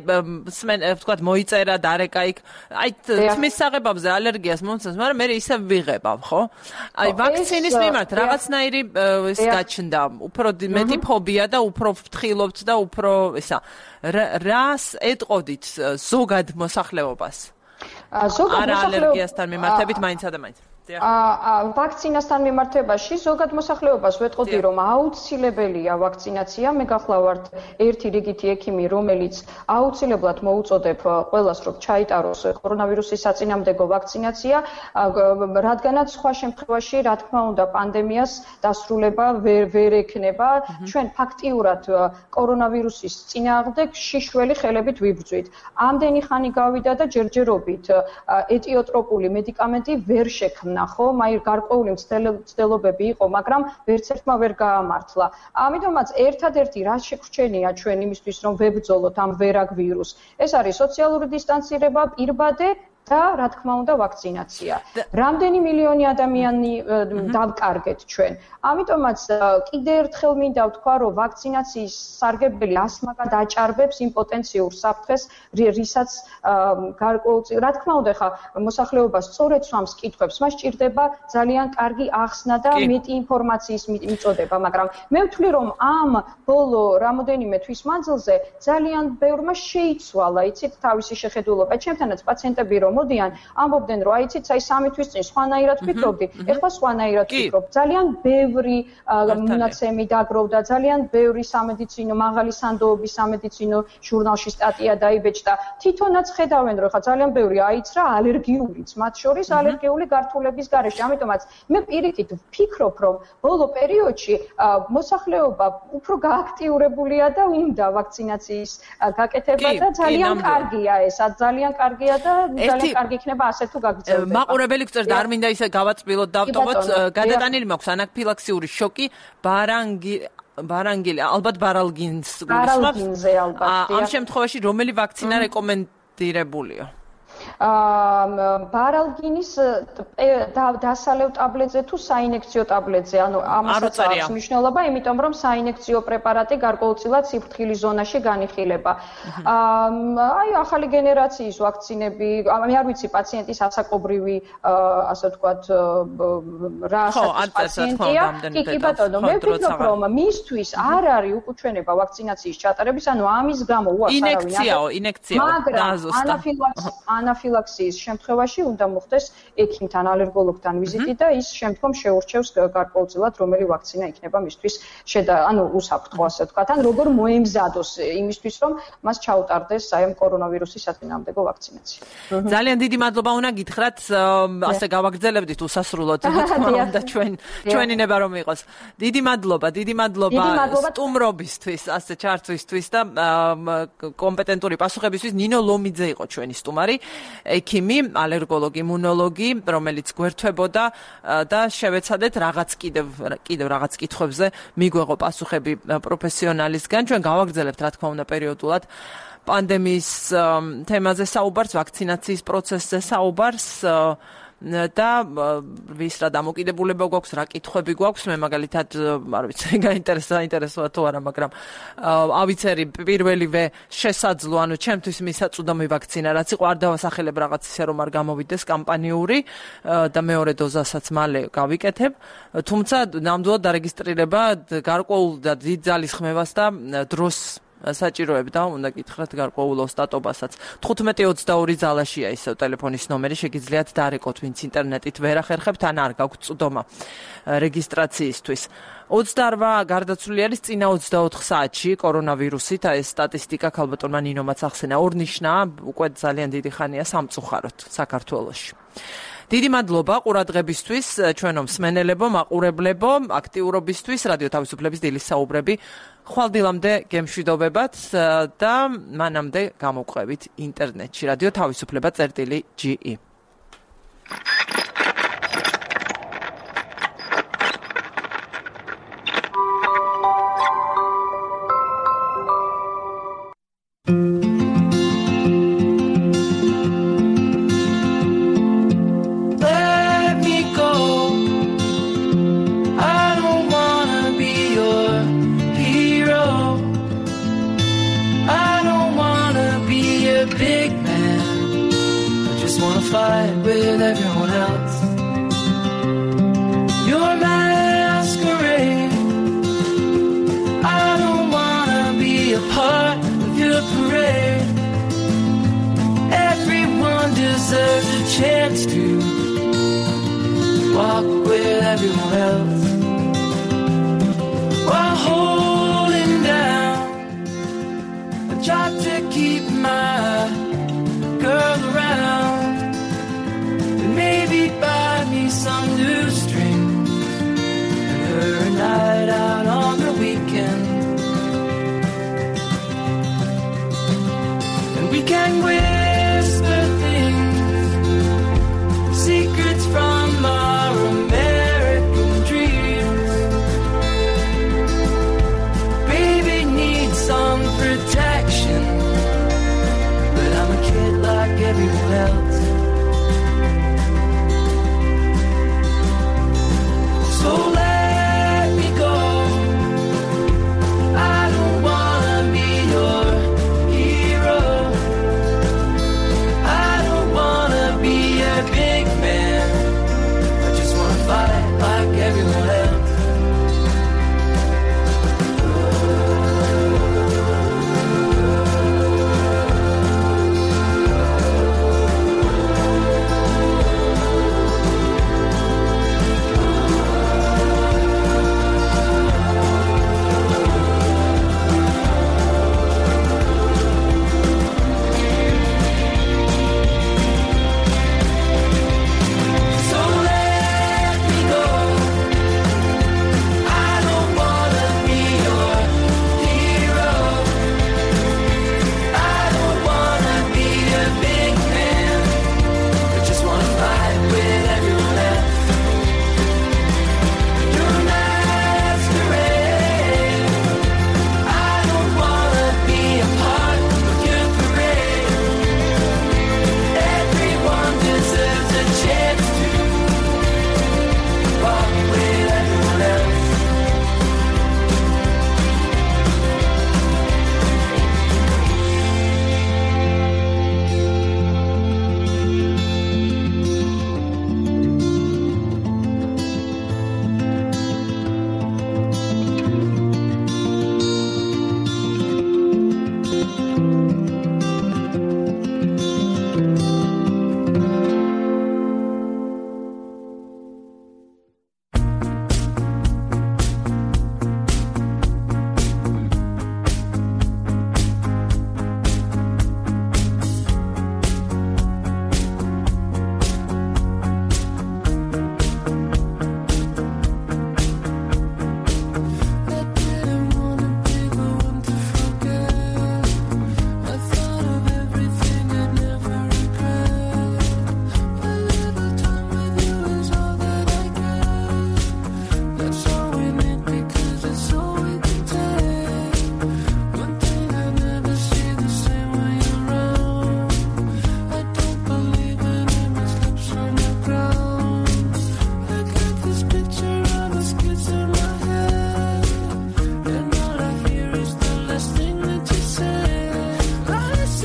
ვთქვათ, მოიწერა დარეკა იქ, აი თმის საღებავზე ალერგიას მომცემს, მაგრამ მე ისე ვიღებავ, ხო? აი ვაქცინის მიმართ რაღაცნაირი ეს გაჩნდა, უფრო მეტი ფობია და უფრო ვფრთხილობთ და უფრო ისა. რას ეტყოდით ზოგად მოსახლეობას? ზოგად არა ალერგიასთან მიმართებით მაინც და მაინც. ვაქცინასთან მიმართებაში ზოგად მოსახლეობას ვეტყოდი, რომ აუცილებელია ვაქცინაცია. მე გახლავართ ერთი რიგითი ექიმი, რომელიც აუცილებლად მოუწოდებ ყველას, რომ ჩაიტაროს კორონავირუსის საწინააღმდეგო ვაქცინაცია, რადგანაც სხვა შემთხვევაში, რა თქმა უნდა, პანდემიას დასრულება ვერ ექნება. ჩვენ ფაქტიურად კორონავირუსის წინააღმდეგ შიშველი ხელებით ვიბრძვით. ამდენი ხანი გავიდა და ჯერჯერობით ეტიოტროპული მედიკამენტი ვერ შექმნა. ხო, აი გარკვეული მცდელობები იყო, მაგრამ ვერც ერთმა ვერ გაამართლა. ამიტომაც ერთადერთი რაც შეგვჩენია ჩვენ იმისთვის, რომ ვებრძოლოთ ამ ვერაგ ვირუსს, ეს არის სოციალური დისტანცირება, პირბადე და რა თქმა უნდა ვაქცინაცია. რამდენი მილიონი ადამიანი დავკარგეთ ჩვენ. ამიტომაც კიდევ ერთხელ მინდა ვთქვა, რომ ვაქცინაციის სარგებელი ასმაგად აჭარბებს იმ პოტენციურ საფრთხეს, რისაც გარკვეულწილად, რა თქმა უნდა, ხა მოსახლეობას სწორედ სვამს კითხვებს, მას ჭირდება ძალიან კარგი ახსნა და მეტი ინფორმაციის მიწოდება, მაგრამ მე ვთვლი, რომ ამ ბოლო რამოდენიმე თვის მანძილზე ძალიან ბევრმა შეიცვალა, იცით, თავისი შეხედულობა. ჩემთანაც პაციენტები რომ მოდიან, ამბობდნენ, რომ აიცით, აი 3 თვის წინ სხვანაირად ვფიქრობდი, ეხლა სხვანაირად ვფიქრობ. ძალიან ბევრი მონაცემი დაგროვდა, ძალიან ბევრი სამედიცინო, მაღალი სანდოობის სამედიცინო ჟურნალში სტატია დაიბეჭდა. თვითონაც ხედავენ, რომ ხა ძალიან ბევრი აიცრა ალერგიულიც, მათ შორის ალერგიული გართულების გარეშე. ამიტომაც მე პირიქით ვფიქრობ, რომ ბოლო პერიოდში მოსახლეობა უფრო გააქტიურებულია და უნდა ვაქცინაციის გაკეთება და ძალიან კარგია ეს, ძალიან კარგია და ძალიან კარგი იქნება ასე თუ გაგრძელდება. მაყურებელი გწერდა, არ მინდა ისე გავაწბილოთ დავტოვოთ, გადატანილი მაქვს ანაფილაქსიური შოკი, ბარანგილი, ალბათ ბარალგინს ბარალგინზე ალბათ. ამ შემთხვევაში რომელი ვაქცინა რეკომენდირებულია? ბარალგინის დასალევ ტაბლეტზე თუ საინექციო ტაბლეტზე, ანუ ამასაც აქვს მნიშვნელობა, იმიტომ რომ საინექციო პრეპარატი გარკვეულწილად სიფრთხილის ზონაში განიხილება. აი ახალი გენერაციის ვაქცინები, მე არ ვიცი პაციენტის ასაკობრივი, ასე ვთქვათ, რა ასაკის პაციენტია. კი ბატონო, მე ვფიქრობ, რომ მისთვის არ არის უკუჩვენება ვაქცინაციის ჩატარების, ანუ ამის გამო უარს არავინ. ინექციაო, მაგრამ ანაფილაქსიის შემთხვევაში უნდა მოხდეს ექიმთან, ალერგოლოგთან ვიზიტი და ის შემდგომ შეურჩევს გარკვეულწილად რომელი ვაქცინა იქნება მისთვის უსაფრთხო, ასე ვთქვათ, ან როგორ მოემზადოს იმისთვის, რომ მას ჩაუტარდეს აი ამ კორონავირუსის საწინააღმდეგო ვაქცინაცია. ძალიან დიდი მადლობა უნდა გითხრათ, ასე გავაგრძელებდით უსასრულოდ, თქმა უნდა ჩვენი ნება რომ იყოს. დიდი მადლობა სტუმრობისთვის, ასე ჩართვისთვის და კომპეტენტური პასუხებისთვის. ნინო ლომიძე იყო ჩვენი სტუმარი. ექიმი, ალერგოლოგი, იმუნოლოგი, რომელიც გვერთვებოდა და შევეცადეთ კიდევ რაღაც კითხვებზე მიგვეღო პასუხები პროფესიონალისგან. ჩვენ გავაგრძელებთ, რა თქმა უნდა, პერიოდულად პანდემიის თემაზე საუბარს, ვაქცინაციის პროცესზე საუბარს და ვის რა დამოკიდებულება გვაქვს, რა კითხვები გვაქვს, მე მაგალითად არ ვიცი, გაინტერესოა თუ არა, მაგრამ ავიცერი პირველივე შესაძლო, ანუ ჩემთვის მისაწვდომი ვაქცინა, რაც იყო, არ დავასახელებ რაღაც ისე რომ არ გამოვიდეს კამპანიური და მეორე დოზასაც მალე გავიკეთებ, თუმცა ნამდვილად დარეგისტრირება გარკვეულ და დიდ ძალის ხმევას და დროს საჭიროებდა, უნდა გითხრათ გარკვეულ ოსტატობასაც. 1522 ძალაშია ისევ ტელეფონის ნომერი, შეგიძლიათ დარეკოთ, ვინც ინტერნეტით ვერ ახერხებთ, ან არ გაქვთ წვდომა რეგისტრაციისთვის. 28 გარდაცვლილი არის წინა 24 საათში კორონავირუსით, ეს სტატისტიკა ქალბატონმა ნინომაც ახსენა. ორნიშნაა, უკვე ძალიან დიდი ხანია სამწუხაროდ საქართველოში. დიდი მადლობა ყურადღებისთვის, ჩვენო მსმენელებო, მაყურებლებო, აქტიურობისთვის, რადიო თავისუფლების დილის საუბრები. ხვალდილამდე გემშვიდობებათ და მანამდე გამოვყვებით ინტერნეტში. რადიო თავისუფლება.ge Fight with everyone else. Your masquerade. I don't wanna be a part of your parade. Everyone deserves a chance to walk with everyone else while holding down. I tried to keep my girl around. Maybe buy me some new strings and her a night out on the weekend. And we can whisper things, secrets from our American dreams. Baby needs some protection, but I'm a kid like everyone else. So let me go. I don't wanna be your hero. I don't wanna be a big man. I just wanna fight like everyone else.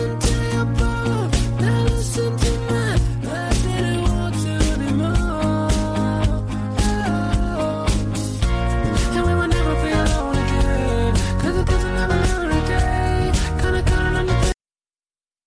want to